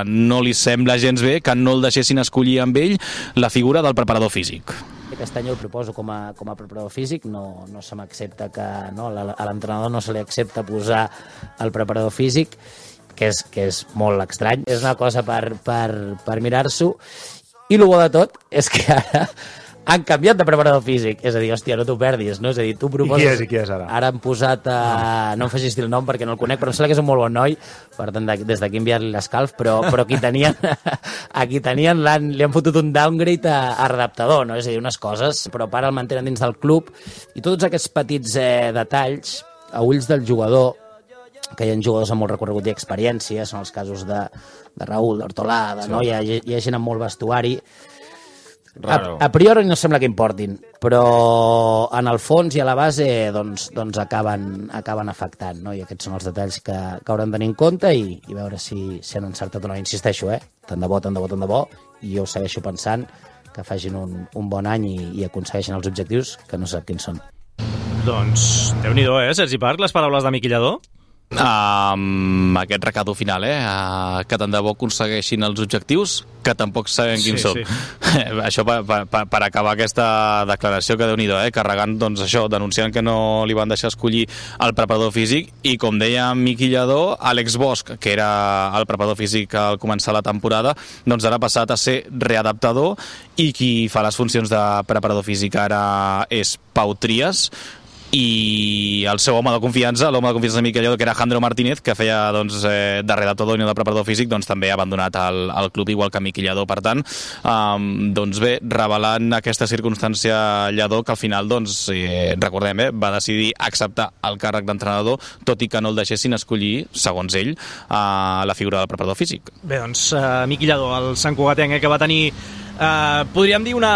no li sembla gens bé que no el deixessin escollir amb ell la figura del preparador físic. Aquest any el proposo com a, com a preparador físic, no, no se m'accepta que no, a l'entrenador no se li accepta posar el preparador físic, que és, que és molt estrany. És una cosa per, per, per mirar-s'ho, I el bo de tot és que ara han canviat de preparador físic. És a dir, hòstia, no t'ho perdis, no? És a dir, tu proposes... I qui és, i qui és ara? Ara han posat... Uh... No em facis dir el nom perquè no el conec, però em sembla que és un molt bon noi, per tant, des d'aquí enviar-li l'escalf, però, però aquí tenien, aquí tenien l'han, li han fotut un downgrade a, a redaptador, no? És a dir, unes coses, però ara el mantenen dins del club, i tots aquests petits eh, detalls, a ulls del jugador, que hi ha jugadors amb molt recorregut i experiència, són els casos de, de Raúl, d'Hortolà, de, sí. no? hi, ha, hi ha gent amb molt vestuari. A, a priori no sembla que importin, però en el fons i a la base doncs, doncs acaben, acaben afectant, no? I aquests són els detalls que, que hauran de tenir en compte i, i veure si, si han encertat o no. Insisteixo, eh? Tant de bo, tant de bo, tant de bo, i jo segueixo pensant que facin un, un bon any i, i aconsegueixin els objectius que no sap quins són. Doncs, Déu-n'hi-do, eh, Sergi Parc, les paraules d'Amic Lledó? Amb aquest recado final, eh? Uh, que tant de bo aconsegueixin els objectius, que tampoc sabem quins sí, són. Sí. Això per, per, per acabar aquesta declaració, que Déu-n'hi-do, eh? Carregant, doncs això, denunciant que no li van deixar escollir el preparador físic, i com deia Miqui Lledó, Àlex Bosch, que era el preparador físic al començar la temporada, doncs ara ha passat a ser readaptador, i qui fa les funcions de preparador físic ara és Pau Trias, i el seu home de confiança, l'home de confiança de Miqui Lledó, que era Jandro Martínez, que feia doncs, eh, de redactador i no de preparador físic, doncs també ha abandonat el, el club, igual que Miqui Lledó. Per tant, um, doncs bé, revelant aquesta circumstància Lledó, que al final, doncs, eh, recordem, eh, va decidir acceptar el càrrec d'entrenador, tot i que no el deixessin escollir, segons ell, uh, la figura del preparador físic. Bé, doncs, uh, Miqui Lledó, el Sant Cugatenc, eh, que va tenir, uh, podríem dir, una...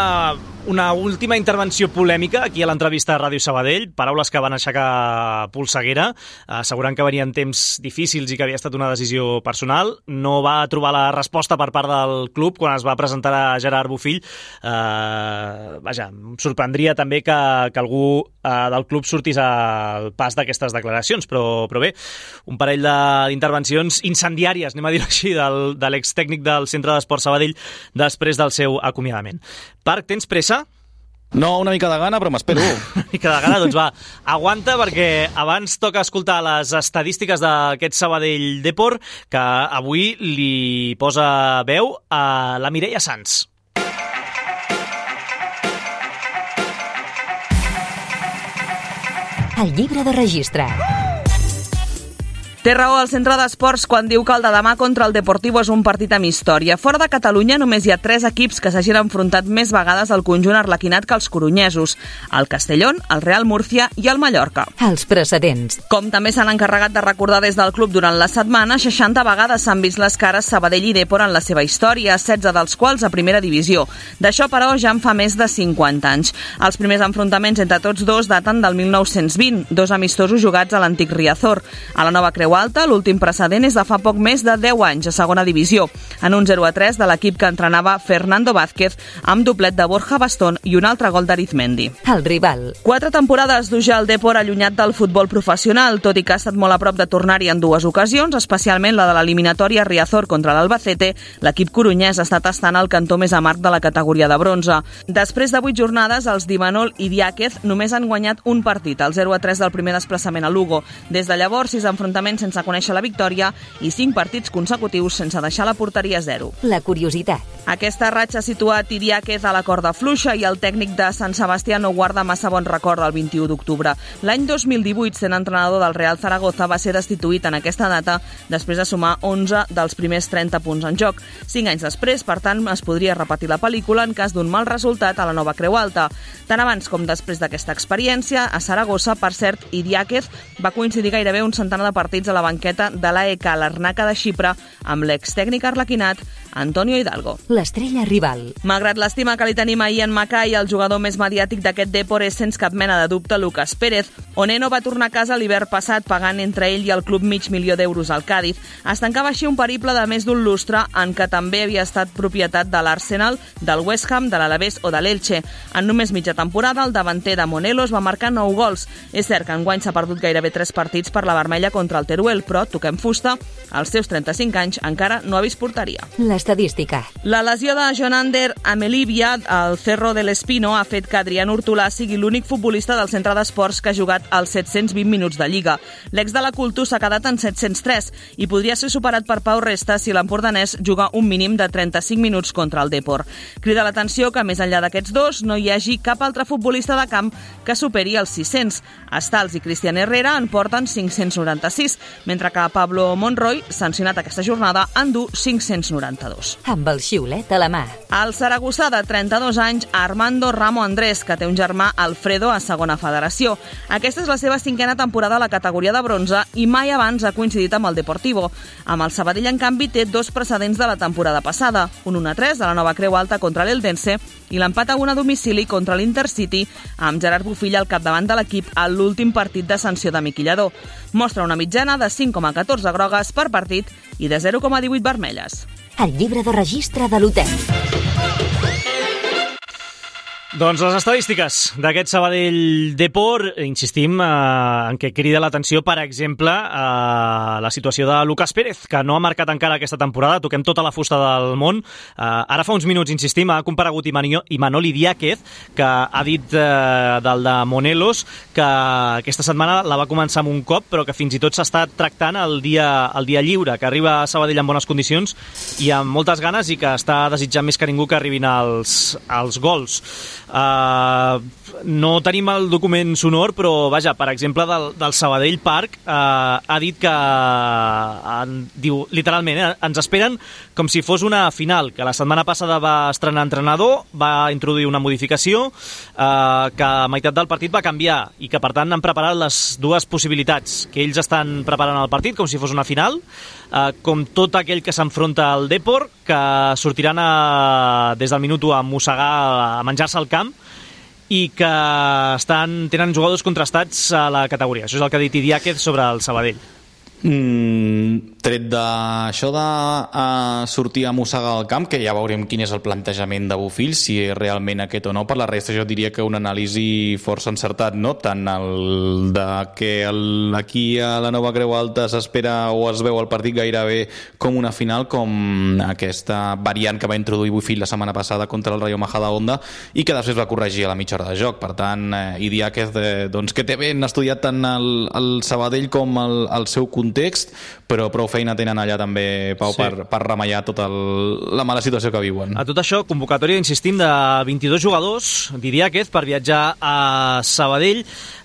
una última intervenció polèmica aquí a l'entrevista a Ràdio Sabadell, paraules que van aixecar polseguera, assegurant que venien temps difícils i que havia estat una decisió personal. No va trobar la resposta per part del club quan es va presentar a Gerard Bofill. Eh, vaja, em sorprendria també que, que algú eh, del club sortís al pas d'aquestes declaracions, però, però bé, un parell d'intervencions incendiàries, anem a dir-ho així, del, de l'extècnic del Centre d'Esport Sabadell després del seu acomiadament. Parc, tens pressa? No, una mica de gana, però m'espero. Una mica de gana, doncs va, aguanta, perquè abans toca escoltar les estadístiques d'aquest Sabadell Depor, que avui li posa veu a la Mireia Sans. El llibre de registre. Té raó el Centre d'Esports quan diu que el de demà contra el Deportivo és un partit amb història. Fora de Catalunya només hi ha tres equips que s'hagin enfrontat més vegades al conjunt arlequinat que els coronyesos: el Castellón, el Real Murcia i el Mallorca. Els precedents. Com també s'han encarregat de recordar des del club durant la setmana, seixanta vegades s'han vist les cares Sabadell i Depor en la seva història, setze dels quals a primera divisió. D'això, però, ja en fa més de cinquanta anys. Els primers enfrontaments entre tots dos daten del mil nou-cents vint, dos amistosos jugats a l'antic Riazor. A la nova Creu Alta, l'últim precedent és de fa poc més de deu anys a segona divisió, en un zero a tres de l'equip que entrenava Fernando Vázquez, amb doblet de Borja Bastón i un altre gol d'Arizmendi. El rival. Quatre temporades d'ujar el Depor allunyat del futbol professional, tot i que ha estat molt a prop de tornar-hi en dues ocasions, especialment la de l'eliminatòria Riazor contra l'Albacete. L'equip corunyès està tastant el cantó més amarg de la categoria de bronze. Després de vuit jornades, els d'Imanol i Diáquez només han guanyat un partit, el zero a tres del primer desplaçament a Lugo. Des de llavors, sis enfrontaments sense conèixer la victòria i cinc partits consecutius sense deixar la porteria a zero. La curiositat. Aquesta ratxa ha situat Idiáquez a la corda fluixa i el tècnic de Sant Sebastià no guarda massa bon record del vint-i-u d'octubre. L'any dos mil divuit, sent entrenador del Real Zaragoza, va ser destituït en aquesta data després de sumar onze dels primers trenta punts en joc. Cinc anys després, per tant, es podria repetir la pel·lícula en cas d'un mal resultat a la nova Creu Alta. Tant abans com després d'aquesta experiència, a Saragossa, per cert, Idiáquez va coincidir gairebé un centenar de partits a la banqueta de l'A E K Larnaca de Xipre amb l'extècnic arlequinat Antonio Hidalgo. L'estrella rival. Malgrat l'estima que li tenim a Ian Mackay, el jugador més mediàtic d'aquest Depor és sense cap mena de dubte Lucas Pérez. Oneno va tornar a casa l'hivern passat pagant entre ell i el club mig milió d'euros al Càdiz. Es tancava així un periple de més d'un lustre en què també havia estat propietat de l'Arsenal, del West Ham, de l'Alavés o de l'Elche. En només mitja temporada, el davanter de Monelos va marcar nou gols. És cert que enguany s'ha perdut gairebé tres partits per la vermella contra el Teruel, però toquem fusta, als seus trenta-cinc anys encara no ha vist porteria. Les estadística. La lesió de Jonander Amelivia al Cerro de l'Espino ha fet que Adrián Hortolà sigui l'únic futbolista del centre d'esports que ha jugat els set-cents vint minuts de Lliga. L'ex de la Cultura s'ha quedat en set-cents tres i podria ser superat per Pau Resta si l'empordanès juga un mínim de trenta-cinc minuts contra el Depor. Crida l'atenció que més enllà d'aquests dos no hi hagi cap altre futbolista de camp que superi els sis-cents. Stals i Cristian Herrera en porten cinc-cents noranta-sis, mentre que Pablo Monroy, sancionat aquesta jornada, en du cinc-cents noranta-dos. Amb el xiulet a la mà. El saragossà de trenta-dos anys, Armando Ramo Andrés, que té un germà Alfredo a segona federació. Aquesta és la seva cinquena temporada a la categoria de bronze i mai abans ha coincidit amb el Deportivo. Amb el Sabadell, en canvi, té dos precedents de la temporada passada, un un a tres a la Nova Creu Alta contra l'Eldense i l'empat a un a domicili contra l'Intercity, amb Gerard Bofill al capdavant de l'equip a l'últim partit de sanció de Miquillador. Mostra una mitjana de cinc coma catorze grogues per partit i de zero coma divuit vermelles. El llibre de registre de l'hotel. Doncs les estadístiques d'aquest Sabadell Depor, insistim, eh, en què crida l'atenció, per exemple, eh, la situació de Lucas Pérez, que no ha marcat encara aquesta temporada, toquem tota la fusta del món. Eh, ara fa uns minuts, insistim, ha comparegut Imanol Idiáquez, que ha dit eh, del de Monelos que aquesta setmana la va començar amb un cop, però que fins i tot s'està tractant el dia, el dia lliure, que arriba a Sabadell en bones condicions i amb moltes ganes i que està desitjant més que ningú que arribin els, els gols. Uh, no tenim el document sonor, però vaja, per exemple del, del Sabadell Park uh, ha dit que uh, diu literalment, eh, ens esperen com si fos una final, que la setmana passada va estrenar entrenador, va introduir una modificació uh, que a meitat del partit va canviar i que per tant han preparat les dues possibilitats, que ells estan preparant el partit com si fos una final, uh, com tot aquell que s'enfronta al Depor, que sortiran a, des del minut u a mossegar, a menjar-se al camp, i que estan, tenen jugadors contrastats a la categoria. Això és el que ha dit Idiáquez sobre el Sabadell. Mm, tret d'això de uh, sortir a mossegar al camp, que ja veurem quin és el plantejament de Bofill, si és realment aquest o no. Per la resta jo diria que un anàlisi força encertat, no? Tant el de que el, aquí a la Nova Creu Alta s'espera o es veu el partit gairebé com una final, com aquesta variant que va introduir Bofill la setmana passada contra el Rayo Majadahonda i que després va corregir a la mitja hora de joc. Per tant, eh, Idiáquez, eh, doncs, que té ben estudiat tant el, el Sabadell com el, el seu context, però prou feina tenen allà també, Pau, sí, per, per remallar tota el, la mala situació que viuen. A tot això, convocatòria, insistim, de vint-i-dos jugadors d'Idiáquez per viatjar a Sabadell,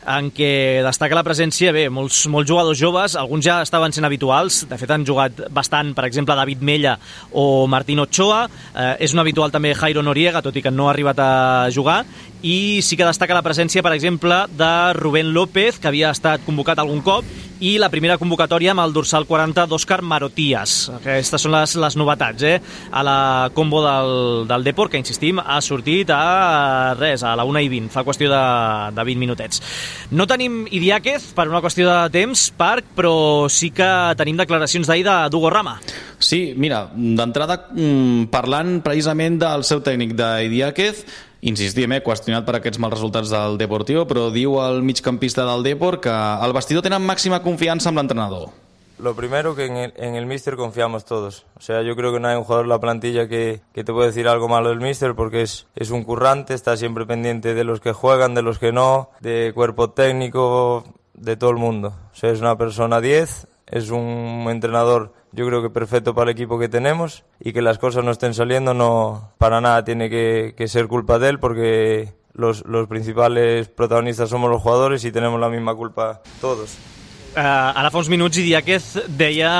en què destaca la presència, bé, molts, molts jugadors joves, alguns ja estaven sent habituals, de fet han jugat bastant, per exemple, David Mella o Martín Ochoa, eh, és un habitual també Jairo Noriega, tot i que no ha arribat a jugar, i sí que destaca la presència, per exemple, de Rubén López, que havia estat convocat algun cop, i la primera convocatòria amb el dorsal quaranta d'Òscar Marotías. Aquestes són les, les novetats, eh? A la combo del, del Depor, que insistim, ha sortit a res, a la una i vint, fa qüestió de, de vint minutets. No tenim Idiáquez per una qüestió de temps, Parc, però sí que tenim declaracions d'ahir de d'Hugo Rama. Sí, mira, d'entrada parlant precisament del seu tècnic d'Idiáquez, insistim, eh, qüestionat per aquests mals resultats del Deportivo, però diu el migcampista del Depor que al vestidor tenen màxima confiança amb l'entrenador. Lo primero, que en el, en el míster confiamos todos. O sea, yo creo que no hay un jugador de la plantilla que, que te puede decir algo malo del míster, porque es, es un currante, está siempre pendiente de los que juegan, de los que no, de cuerpo técnico, de todo el mundo. O sea, es una persona diez, es un entrenador, yo creo que perfecto para el equipo que tenemos, y que las cosas no estén saliendo no para nada tiene que, que ser culpa de él, porque los, los principales protagonistas somos los jugadores y tenemos la misma culpa todos. Uh, ara fa uns minuts Idiáquez deia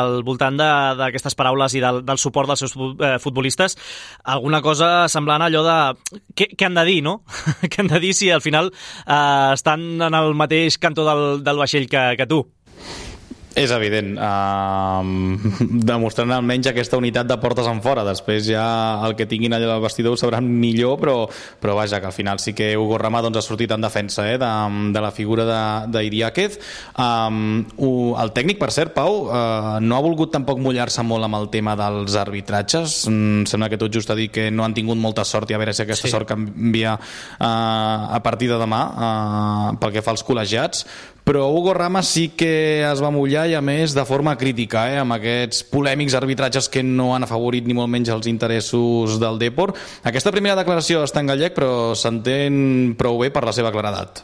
al voltant d'aquestes paraules i del, del suport dels seus futbolistes alguna cosa semblant a allò de què, què han de dir, no? Què han de dir si al final uh, estan en el mateix cantó del, del vaixell que, que tu? És evident, uh, demostrant almenys aquesta unitat de portes en fora. Després ja el que tinguin allà al vestidor ho sabran millor, però, però vaja, que al final sí que Hugo Rama doncs, ha sortit en defensa eh, de, de la figura d'Idiáquez. Um, el tècnic, per cert, Pau, uh, no ha volgut tampoc mullar-se molt amb el tema dels arbitratges. Mm, sembla que tot just ha dit que no han tingut molta sort i a veure si aquesta sí. sort canvia uh, a partir de demà uh, pel que fa als col·legiats, però Hugo Rama sí que es va mullar, i a més de forma crítica, eh, amb aquests polèmics arbitratges que no han afavorit ni molt menys els interessos del Depor. Aquesta primera declaració està en gallec, però s'entén prou bé per la seva claredat.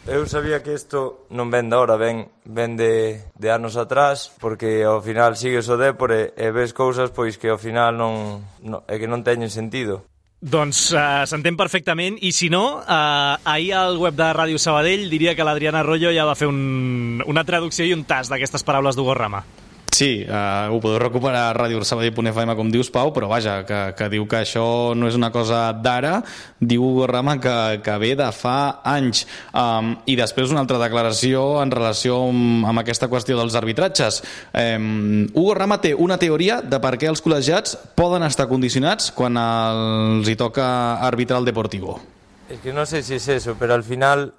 Eu sabía que isto non ven de ahora, ven, ven de, de anos atrás, porque ao final sigues o Depor e, e ves cousas pois que ao final non, non, é que non teñen sentido. Doncs uh, s'entén perfectament, i si no, uh, ahir al web de Ràdio Sabadell diria que l'Adriana Arroyo ja va fer un, una traducció i un tast d'aquestes paraules d'Hugo Rama. Sí, uh, ho podeu recuperar a ràdio sabadell punt f m, com dius, Pau, però vaja, que, que diu que això no és una cosa d'ara, diu Hugo Rama que, que ve de fa anys. Um, I després una altra declaració en relació amb, amb aquesta qüestió dels arbitratges. Um, Hugo Rama té una teoria de per què els col·legiats poden estar condicionats quan els hi toca arbitrar el Deportivo. Es que no sé si es eso, pero al final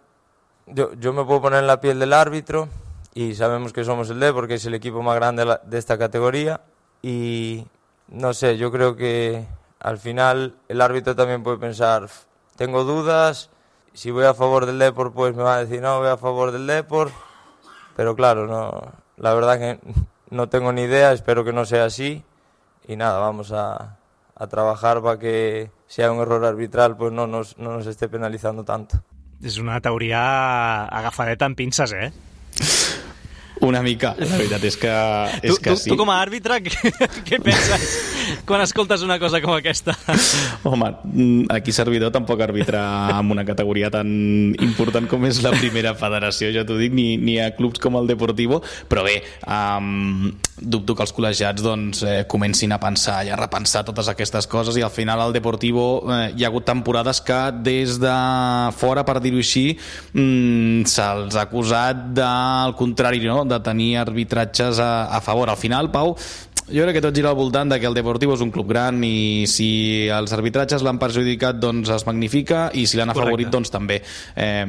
yo, yo me puedo poner en la piel del árbitro, y sabemos que somos el D porque es el equipo más grande de esta categoría, y no sé, yo creo que al final el árbitro también puede pensar, tengo dudas, si voy a favor del Depor pues me va a decir no, voy a favor del Depor, pero claro, no, la verdad que no tengo ni idea, espero que no sea así, y nada, vamos a, a trabajar para que si hay un error arbitral pues no nos, no nos esté penalizando tanto. És una teoria agafadeta amb pinces, eh? Una mica, la veritat és que, és tu, que tu, sí. Tu com a àrbitre, què, què penses quan escoltes una cosa com aquesta? Home, aquí servidor tampoc arbitra amb una categoria tan important com és la primera federació, ja t'ho dic, ni, ni a clubs com el Deportivo, però bé, um, dubto que els col·legiats doncs, eh, comencin a pensar i a repensar totes aquestes coses, i al final al Deportivo eh, hi ha hagut temporades que des de fora, per dir-ho així, mm, se'ls ha acusat del contrari, no?, de tenir arbitratges a, a favor. Al final, Pau, jo crec que tot gira al voltant de que el Deportivo és un club gran, i si els arbitratges l'han perjudicat doncs es magnifica, i si l'han afavorit doncs també. Eh,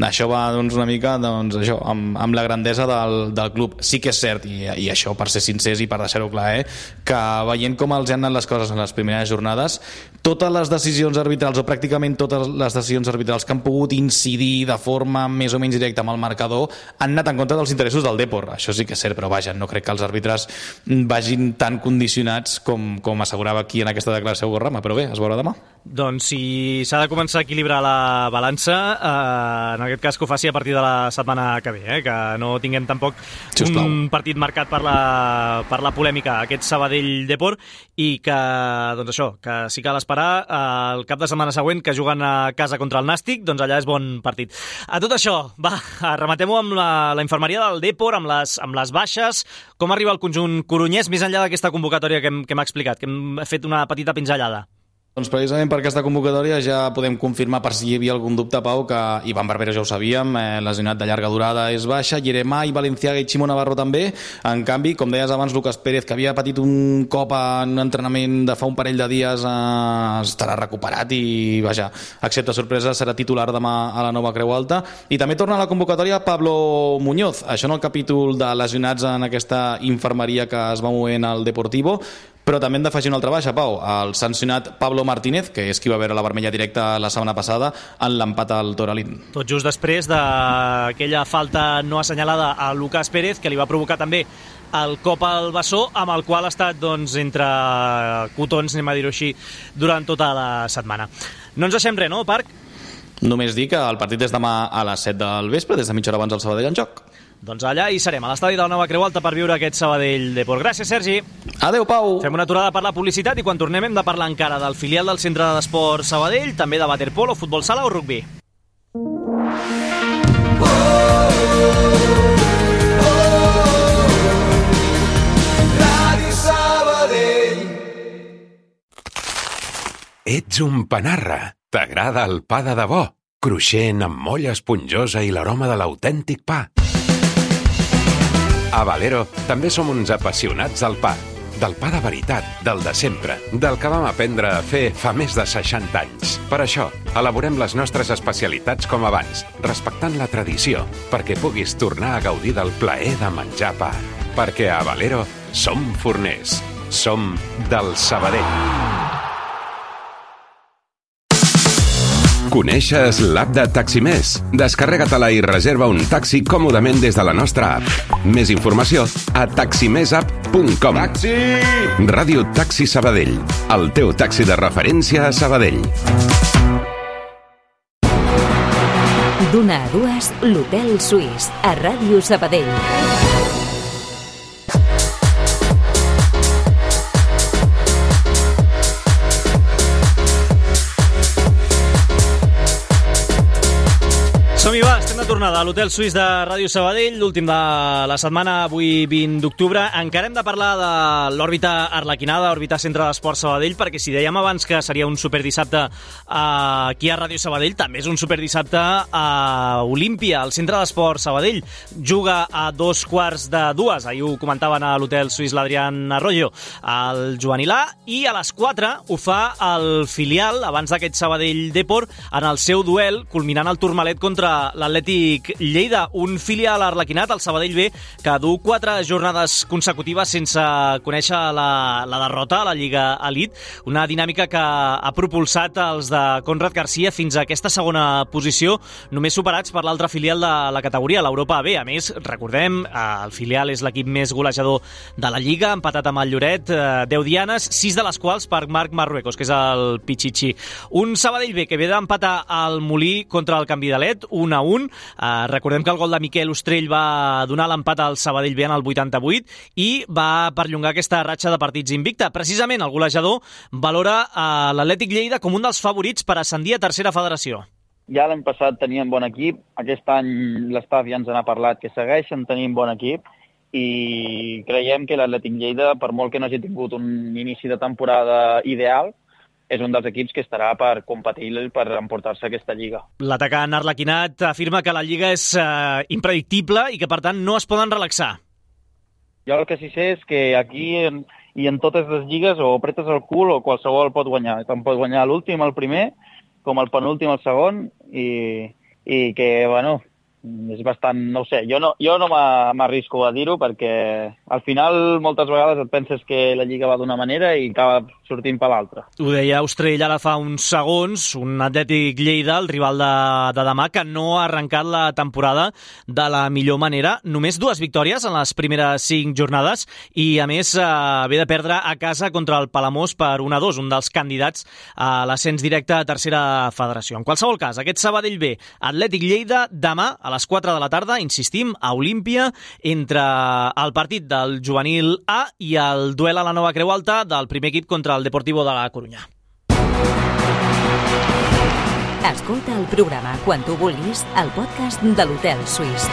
això va doncs, una mica doncs, això, amb, amb la grandesa del, del club. Sí que és cert, i, i això per ser sincers i per deixar-ho clar, eh, que veient com els han anat les coses en les primeres jornades, totes les decisions arbitrals, o pràcticament totes les decisions arbitrals que han pogut incidir de forma més o menys directa amb el marcador, han anat en contra dels interessos del Depor. Això sí que és cert, però vaja, no crec que els àrbitres vagin tan condicionats com, com assegurava aquí en aquesta declaració Hugo Rama, però bé, es veurà demà. Doncs si s'ha de començar a equilibrar la balança, eh, en aquest cas que ho faci a partir de la setmana que ve, eh, que no tinguem tampoc Sisplau. un partit marcat per la, per la polèmica, aquest Sabadell-Depor, i que, doncs això, que sí cal esperar eh, el cap de setmana següent, que juguen a casa contra el Nàstic, doncs allà és bon partit. A tot això, va, rematem-ho amb la, la infermeria del Depor, amb les, amb les baixes, com arriba el conjunt corunyès, més enllà d'aquesta convocatòria que hem, que hem explicat, que hem fet una petita pinzellada. Doncs precisament per aquesta convocatòria ja podem confirmar, per si hi havia algun dubte, Pau, que Ivan Barbero ja ho sabíem, eh, lesionat de llarga durada és baixa, Yeremà i Valenciaga i Ximo Navarro també. En canvi, com deies abans, Lucas Pérez, que havia patit un cop en un entrenament de fa un parell de dies, eh, estarà recuperat i, vaja, excepte sorpresa, serà titular demà a la Nova Creu Alta. I també torna a la convocatòria Pablo Muñoz, això en el capítol de lesionats en aquesta infermeria que es va movent al Deportivo. Però també hem d'afegir una altra baixa, Pau, el sancionat Pablo Martínez, que és qui va veure la vermella directa la setmana passada en l'empat al Toralín. Tot just després d'aquella falta no assenyalada a Lucas Pérez, que li va provocar també el cop al bessó, amb el qual ha estat doncs, entre cotons, anem a dir-ho així, durant tota la setmana. No ens deixem res, no, Parc? Només dir que el partit és demà a les set del vespre, des de mitja hora abans del Sabadell en joc. Doncs allà hi serem, a l'estadi de la Nova Creu Alta, per viure aquest Sabadell Depor. Gràcies, Sergi. Adéu, Pau. Fem una aturada per la publicitat i quan tornem hem de parlar encara del filial del Centre d'Esport Sabadell, també de waterpolo, futbol sala o rugbi. Ràdio Sabadell. Ets un panarra. T'agrada el pa de debò? Cruixent, amb molla esponjosa i l'aroma de l'autèntic pa. A Valero també som uns apassionats del pa. Del pa de veritat, del de sempre, del que vam aprendre a fer fa més de seixanta anys. Per això, elaborem les nostres especialitats com abans, respectant la tradició, perquè puguis tornar a gaudir del plaer de menjar pa. Perquè a Valero som forners. Som del Sabadell. Coneixes l'app de Taximés? Descarrega-te-la i reserva un taxi còmodament des de la nostra app. Més informació a taximessapp punt com. Taxi! Ràdio Taxi Sabadell, el teu taxi de referència a Sabadell. D'una a dues, l'Hotel Suís, a Ràdio Sabadell. Som-hi, va, estem de tornada a l'Hotel Suís de Ràdio Sabadell, l'últim de la setmana, avui vint d'octubre. Encara hem de parlar de l'òrbita arlequinada, òrbita Centre d'Esport Sabadell, perquè si dèiem abans que seria un superdissabte aquí a Ràdio Sabadell, també és un superdissabte a Olímpia, al Centre d'Esport Sabadell. Juga a dos quarts de dues, ahir ho comentaven a l'Hotel Suís l'Adrián Arroyo, al juvenil A, i a les quatre ho fa el filial, abans d'aquest Sabadell Depor, en el seu duel, culminant el Tourmalet contra l'Atlètic Lleida, un filial arlequinat, el Sabadell B, que du quatre jornades consecutives sense conèixer la, la derrota a la Lliga Elite, una dinàmica que ha propulsat els de Conrad Garcia fins a aquesta segona posició, només superats per l'altre filial de la categoria, l'Europa B. A més, recordem, el filial és l'equip més golejador de la Lliga, empatat amb el Lloret, deu dianes, sis de les quals per Marc Marruecos, que és el Pichichi. Un Sabadell B que ve d'empatar al Molí contra el Canvidalet, un a un. Uh, recordem que el gol de Miquel Ostrell va donar l'empat al Sabadell B en el vuitanta-vuit i va perllongar aquesta ratxa de partits invicta. Precisament el golejador valora uh, l'Atlètic Lleida com un dels favorits per ascendir a tercera federació. Ja l'any passat tenien bon equip, aquest any l'estaf ja ens n'ha parlat que segueixen tenint bon equip i creiem que l'Atlètic Lleida, per molt que no hagi tingut un inici de temporada ideal, és un dels equips que estarà per competir per emportar-se aquesta lliga. L'atacant arlequinat afirma que la lliga és eh, impredictible i que, per tant, no es poden relaxar. Jo el que sí sé és que aquí en, i en totes les lligues o apretes el cul o qualsevol pot guanyar. Tant pot guanyar l'últim, el primer, com el penúltim, el segon, i, i que, bueno, és bastant, no ho sé, jo no, jo no m'arrisco a dir-ho perquè al final moltes vegades et penses que la Lliga va d'una manera i acaba sortint per l'altra. Ho deia Ostrell ara fa uns segons, un Atlètic Lleida, el rival de, de demà, que no ha arrencat la temporada de la millor manera. Només dues victòries en les primeres cinc jornades i, a més, eh, ve de perdre a casa contra el Palamós per un a dos, un dels candidats a l'ascens directe a tercera federació. En qualsevol cas, aquest Sabadell B, Atlètic Lleida, demà a les quatre de la tarda, insistim, a Olímpia, entre el partit del juvenil A i el duel a la Nova Creu Alta del primer equip contra el Deportivo de la Coruña. Escolta el programa quan tu vulguis al podcast de l'Hotel Suís.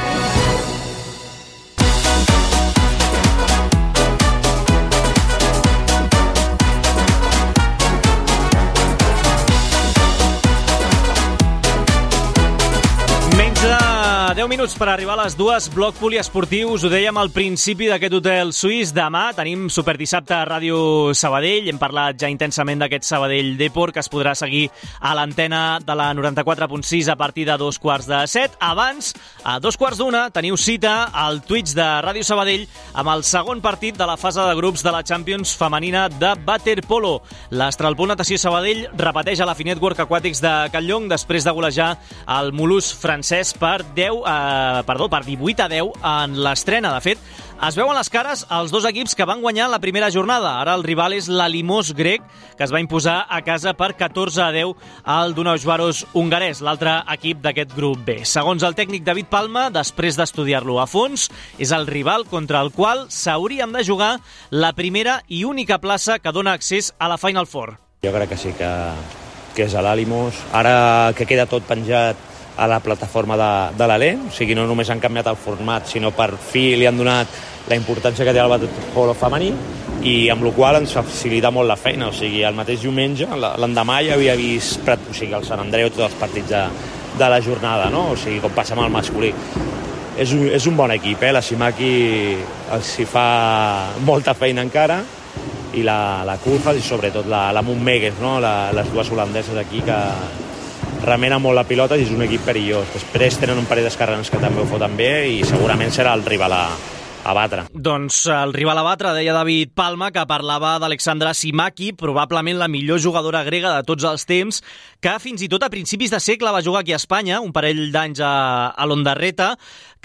deu minuts per arribar a les dues, bloc poliesportiu. Us ho dèiem al principi d'aquest Hotel Suís. Demà tenim superdissabte a Ràdio Sabadell. Hem parlat ja intensament d'aquest Sabadell Depor, que es podrà seguir a l'antena de la noranta-quatre punt sis a partir de dos quarts de set. Abans, a dos quarts d'una, teniu cita al Twitch de Ràdio Sabadell amb el segon partit de la fase de grups de la Champions femenina de waterpolo. l'Astralpol Natació Sabadell repeteix a la Finet Work Aquàtics de Catlllong després de golejar el Molús francès per deu Eh, perdó, per divuit a deu en l'estrena. De fet, es veuen les cares els dos equips que van guanyar la primera jornada. Ara el rival és l'Alimos grec, que es va imposar a casa per catorze a deu al Dunausvaros hongarès, l'altre equip d'aquest grup B. Segons el tècnic David Palma, després d'estudiar-lo a fons, és el rival contra el qual s'hauríem de jugar la primera i única plaça que dona accés a la Final Four. Jo crec que sí, que, que és l'Alimos. Ara que queda tot penjat a la plataforma de, de l'Alé, o sigui, no només han canviat el format, sinó per fi li han donat la importància que té el waterpolo femení i amb la qual ens facilita molt la feina, o sigui, el mateix diumenge, l'endemà ja havia vist o sigui, el Sant Andreu, tots els partits de, de la jornada, no? O sigui, com passa amb el masculí. És un, és un bon equip, eh? La Simaki els hi fa molta feina encara i la, la Kurfas i sobretot la, la Montmegues, no? La, les dues holandeses aquí que remena molt la pilota i és un equip perillós. Després tenen un parell d'escarrans que també ho foten bé i segurament serà el rival a, a batre. Doncs el rival a batre, deia David Palma, que parlava d'Alexandra Simaki, probablement la millor jugadora grega de tots els temps, que fins i tot a principis de segle va jugar aquí a Espanya, un parell d'anys a, a l'Ondarreta,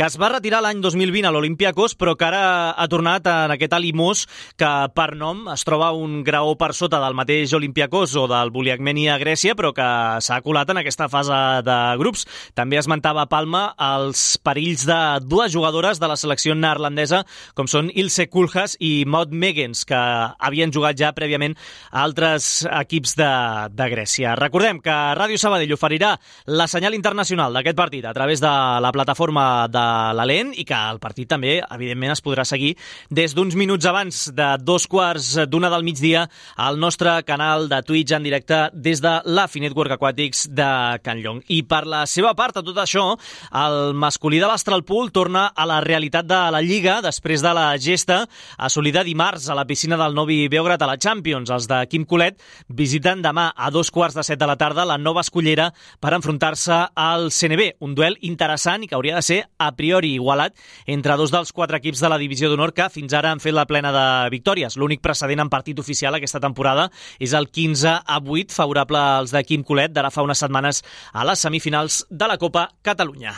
que es va retirar l'any dos mil vint a l'Olympiakos, però que ara ha tornat en aquest Alimos, que per nom es troba un graó per sota del mateix Olympiakos o del Buliagmeni a Grècia, però que s'ha colat en aquesta fase de grups. També esmentava Palma els perills de dues jugadores de la selecció neerlandesa, com són Ilse Kulhas i Maud Megens, que havien jugat ja prèviament a altres equips de, de Grècia. Recordem que Ràdio Sabadell oferirà la senyal internacional d'aquest partit a través de la plataforma de l'A L E N i que el partit també, evidentment, es podrà seguir des d'uns minuts abans de dos quarts d'una del migdia al nostre canal de Twitch en directe des de la Network Aquàtics de Can Llong. I per la seva part, a tot això, el masculí de l'Astralpool torna a la realitat de la Lliga després de la gesta assolida dimarts a la piscina del Novi Beograd a la Champions. Els de Quim Colet visiten demà a dos quarts de set de la tarda la Nova Escullera per enfrontar-se al C N B. Un duel interessant i que hauria de ser a priori igualat entre dos dels quatre equips de la divisió d'honor que fins ara han fet la plena de victòries. L'únic precedent en partit oficial aquesta temporada és el quinze a vuit favorable als de Quim Colet d'ara fa unes setmanes a les semifinals de la Copa Catalunya.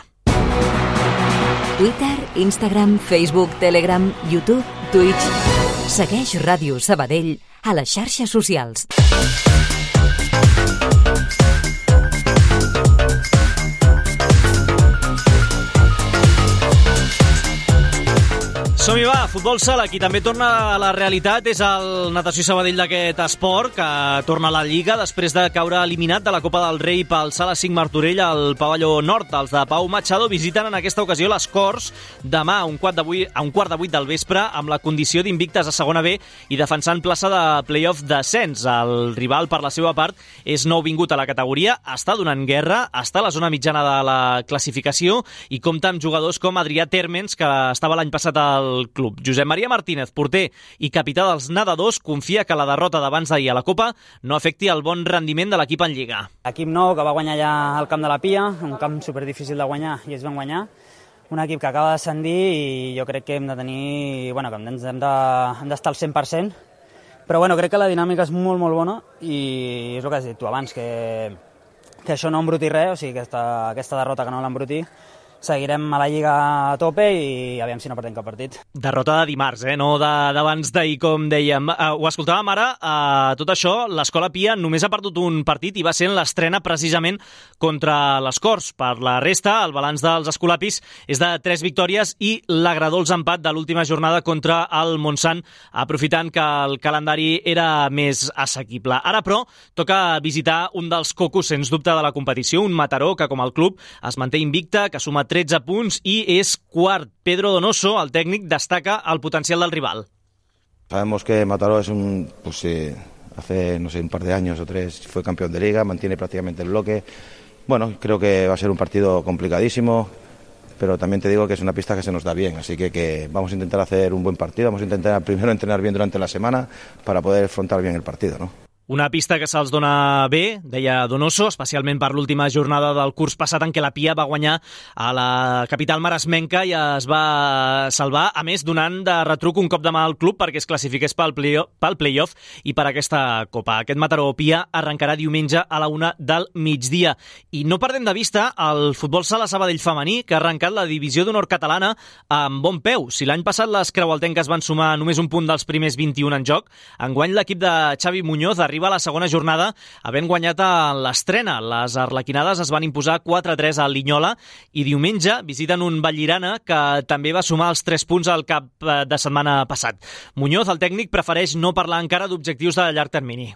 Twitter, Instagram, Facebook, Telegram, YouTube, Twitch. Segueix Ràdio Sabadell a les xarxes socials. Som-hi va, futbol sala, qui també torna a la realitat és el Natació Sabadell d'aquest esport, que torna a la Lliga després de caure eliminat de la Copa del Rei pel Sala cinc Martorell al pavelló nord. Els de Pau Machado visiten en aquesta ocasió les Corts demà a un quart de vuit, a un quart de vuit del vespre amb la condició d'invictes a segona B i defensant plaça de play-off descens. El rival, per la seva part, és nou vingut a la categoria, està donant guerra, està a la zona mitjana de la classificació i compta amb jugadors com Adrià Térmens, que estava l'any passat al club. Josep Maria Martínez, porter i capità dels nedadors, confia que la derrota d'abans d'ahir a la Copa no afecti el bon rendiment de l'equip en Lliga. Equip nou que va guanyar allà al camp de la Pia, un camp superdifícil de guanyar i ells van guanyar. Un equip que acaba de descendir i jo crec que hem de tenir, bueno, que hem d'estar de, al cent per cent, però bueno, crec que la dinàmica és molt, molt bona i és el que has dit tu abans, que, que això no embruti res, o sigui, aquesta, aquesta derrota que no l'embruti. Seguirem a la Lliga a tope i aviam si no perdem cap partit. Derrota de dimarts, eh? no d'abans d'ahir, com dèiem. Uh, ho escoltàvem ara, uh, tot això, l'Escola Pia només ha perdut un partit i va ser en l'estrena precisament contra les Corts. Per la resta, el balanç dels escolapis és de tres victòries i l'agradolç empat de l'última jornada contra el Montsant, aprofitant que el calendari era més assequible. Ara, però, toca visitar un dels cocos, sens dubte, de la competició, un Mataró que, com el club, es manté invicta, que suma tretze punts i és quart. Pedro Donoso, el tècnic, destaca el potencial del rival. Sabemos que Mataró es un, pues eh, hace no sé un par de años o tres fue campeón de liga, mantiene prácticamente el bloque. Bueno, creo que va a ser un partido complicadísimo, pero también te digo que es una pista que se nos da bien, así que, que vamos a intentar hacer un buen partido, vamos a intentar primero entrenar bien durante la semana para poder afrontar bien el partido, ¿no? Una pista que se'ls dona bé, deia Donoso, especialment per l'última jornada del curs passat en què la Pia va guanyar a la capital maresmenca i es va salvar, a més donant de retruc un cop de mà al club perquè es classifiqués pel play-off, pel play-off i per aquesta Copa. Aquest Mataró Pia arrencarà diumenge a la una del migdia. I no perdem de vista el futbol sala Sabadell femení, que ha arrencat la divisió d'honor catalana amb bon peu. Si l'any passat les creualtenques van sumar només un punt dels primers vint-i-un en joc, enguany l'equip de Xavi Muñoz arriba a la segona jornada havent guanyat a l'estrena. Les arlequinades es van imposar quatre a tres a Linyola i diumenge visiten un Vallirana que també va sumar els tres punts al cap de setmana passat. Muñoz, el tècnic, prefereix no parlar encara d'objectius de llarg termini.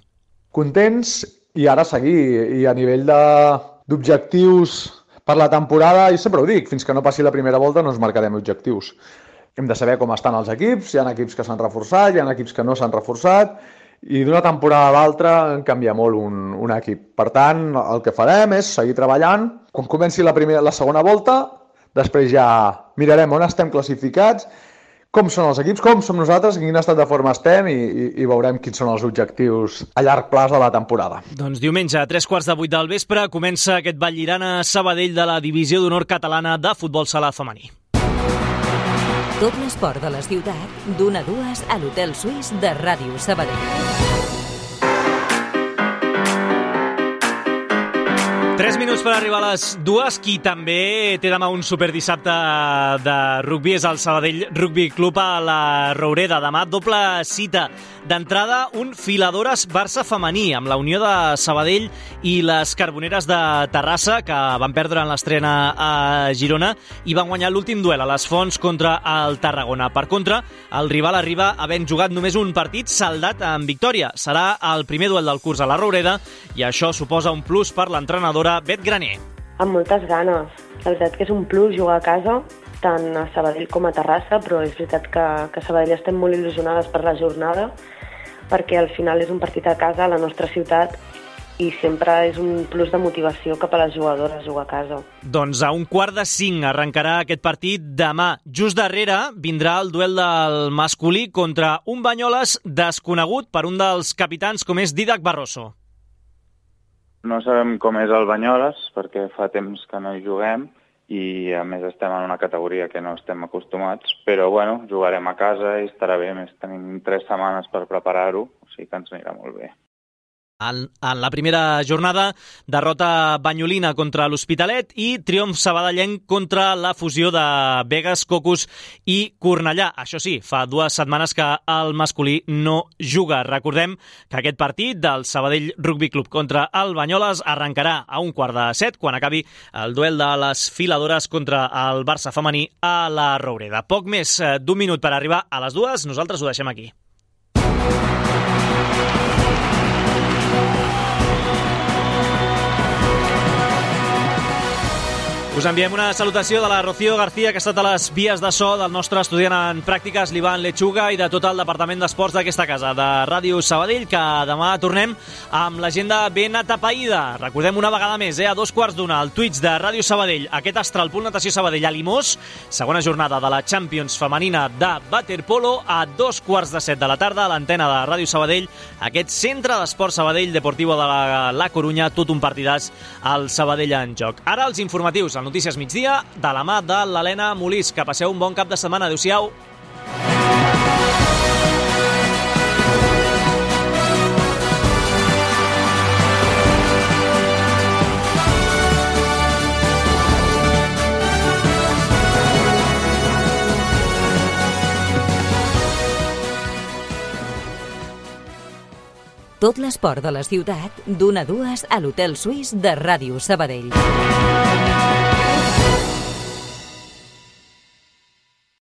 Contents i ara seguir. I a nivell d'objectius per la temporada, i sempre ho dic, fins que no passi la primera volta no ens marcarem objectius. Hem de saber com estan els equips, hi ha equips que s'han reforçat, hi ha equips que no s'han reforçat, i d'una temporada a l'altra canvia molt un, un equip. Per tant, el que farem és seguir treballant. Quan comenci la, primera, la segona volta, després ja mirarem on estem classificats, com són els equips, com som nosaltres, en quin estat de forma estem i, i, i veurem quins són els objectius a llarg plaç de la temporada. Doncs diumenge, a tres quarts de vuit del vespre, comença aquest Vallirana Sabadell de la divisió d'honor catalana de futbol sala femení. Tot l'esport de la ciutat, d'una a dues a l'Hotel Suís de Ràdio Sabadell. Tres minuts per arribar a les dues. Qui també té demà un superdissabte de rugbi és el Sabadell Rugby Club a la Roureda. Demà doble cita. D'entrada, un Filadores Barça femení amb la unió de Sabadell i les Carboneres de Terrassa, que van perdre en l'estrena a Girona i van guanyar l'últim duel a les Fonts contra el Tarragona. Per contra, el rival arriba havent jugat només un partit saldat en victòria. Serà el primer duel del curs a la Roureda i això suposa un plus per l'entrenadora Bet Graner. Amb moltes ganes. La veritat que és un plus jugar a casa, tant a Sabadell com a Terrassa, però és veritat que, que a Sabadell estem molt il·lusionades per la jornada, perquè al final és un partit a casa, a la nostra ciutat, i sempre és un plus de motivació cap a les jugadores jugar a casa. Doncs a un quart de cinc arrencarà aquest partit demà. Just darrere vindrà el duel del masculí contra un Banyoles desconegut per un dels capitans com és Didac Barroso. No sabem com és el Banyoles, perquè fa temps que no hi juguem i a més estem en una categoria que no estem acostumats, però bueno, jugarem a casa i estarà bé, més tenim tres setmanes per preparar-ho, o sigui que ens anirà molt bé. En, en la primera jornada, derrota banyolina contra l'Hospitalet i triomf sabadellenc contra la fusió de Begues, Cocos i Cornellà. Això sí, fa dues setmanes que el masculí no juga. Recordem que aquest partit del Sabadell Rugby Club contra el Banyoles arrencarà a un quart de set quan acabi el duel de les Filadores contra el Barça femení a la Roureda. Poc més d'un minut per arribar a les dues, nosaltres ho deixem aquí. Us enviem una salutació de la Rocío García, que ha estat a les vies de so del nostre estudiant en pràctiques, l'Ivan Lechuga, i de tot el departament d'esports d'aquesta casa, de Ràdio Sabadell, que demà tornem amb l'agenda ben atapeïda. Recordem una vegada més, eh, a dos quarts d'una, al Twitch de Ràdio Sabadell, aquest Astralpool Natació Sabadell a Limós, segona jornada de la Champions femenina de waterpolo, a dos quarts de set de la tarda, a l'antena de Ràdio Sabadell, aquest centre d'esport Sabadell Deportivo de la, la Corunya, tot un partidàs al Sabadell en joc. Ara els informatius, el Notícies Migdia, de la mà de l'Helena Molís. Que passeu un bon cap de setmana. Adéu-siau. Tot l'esport de la ciutat, d'una a dues a l'Hotel Suís de Ràdio Sabadell.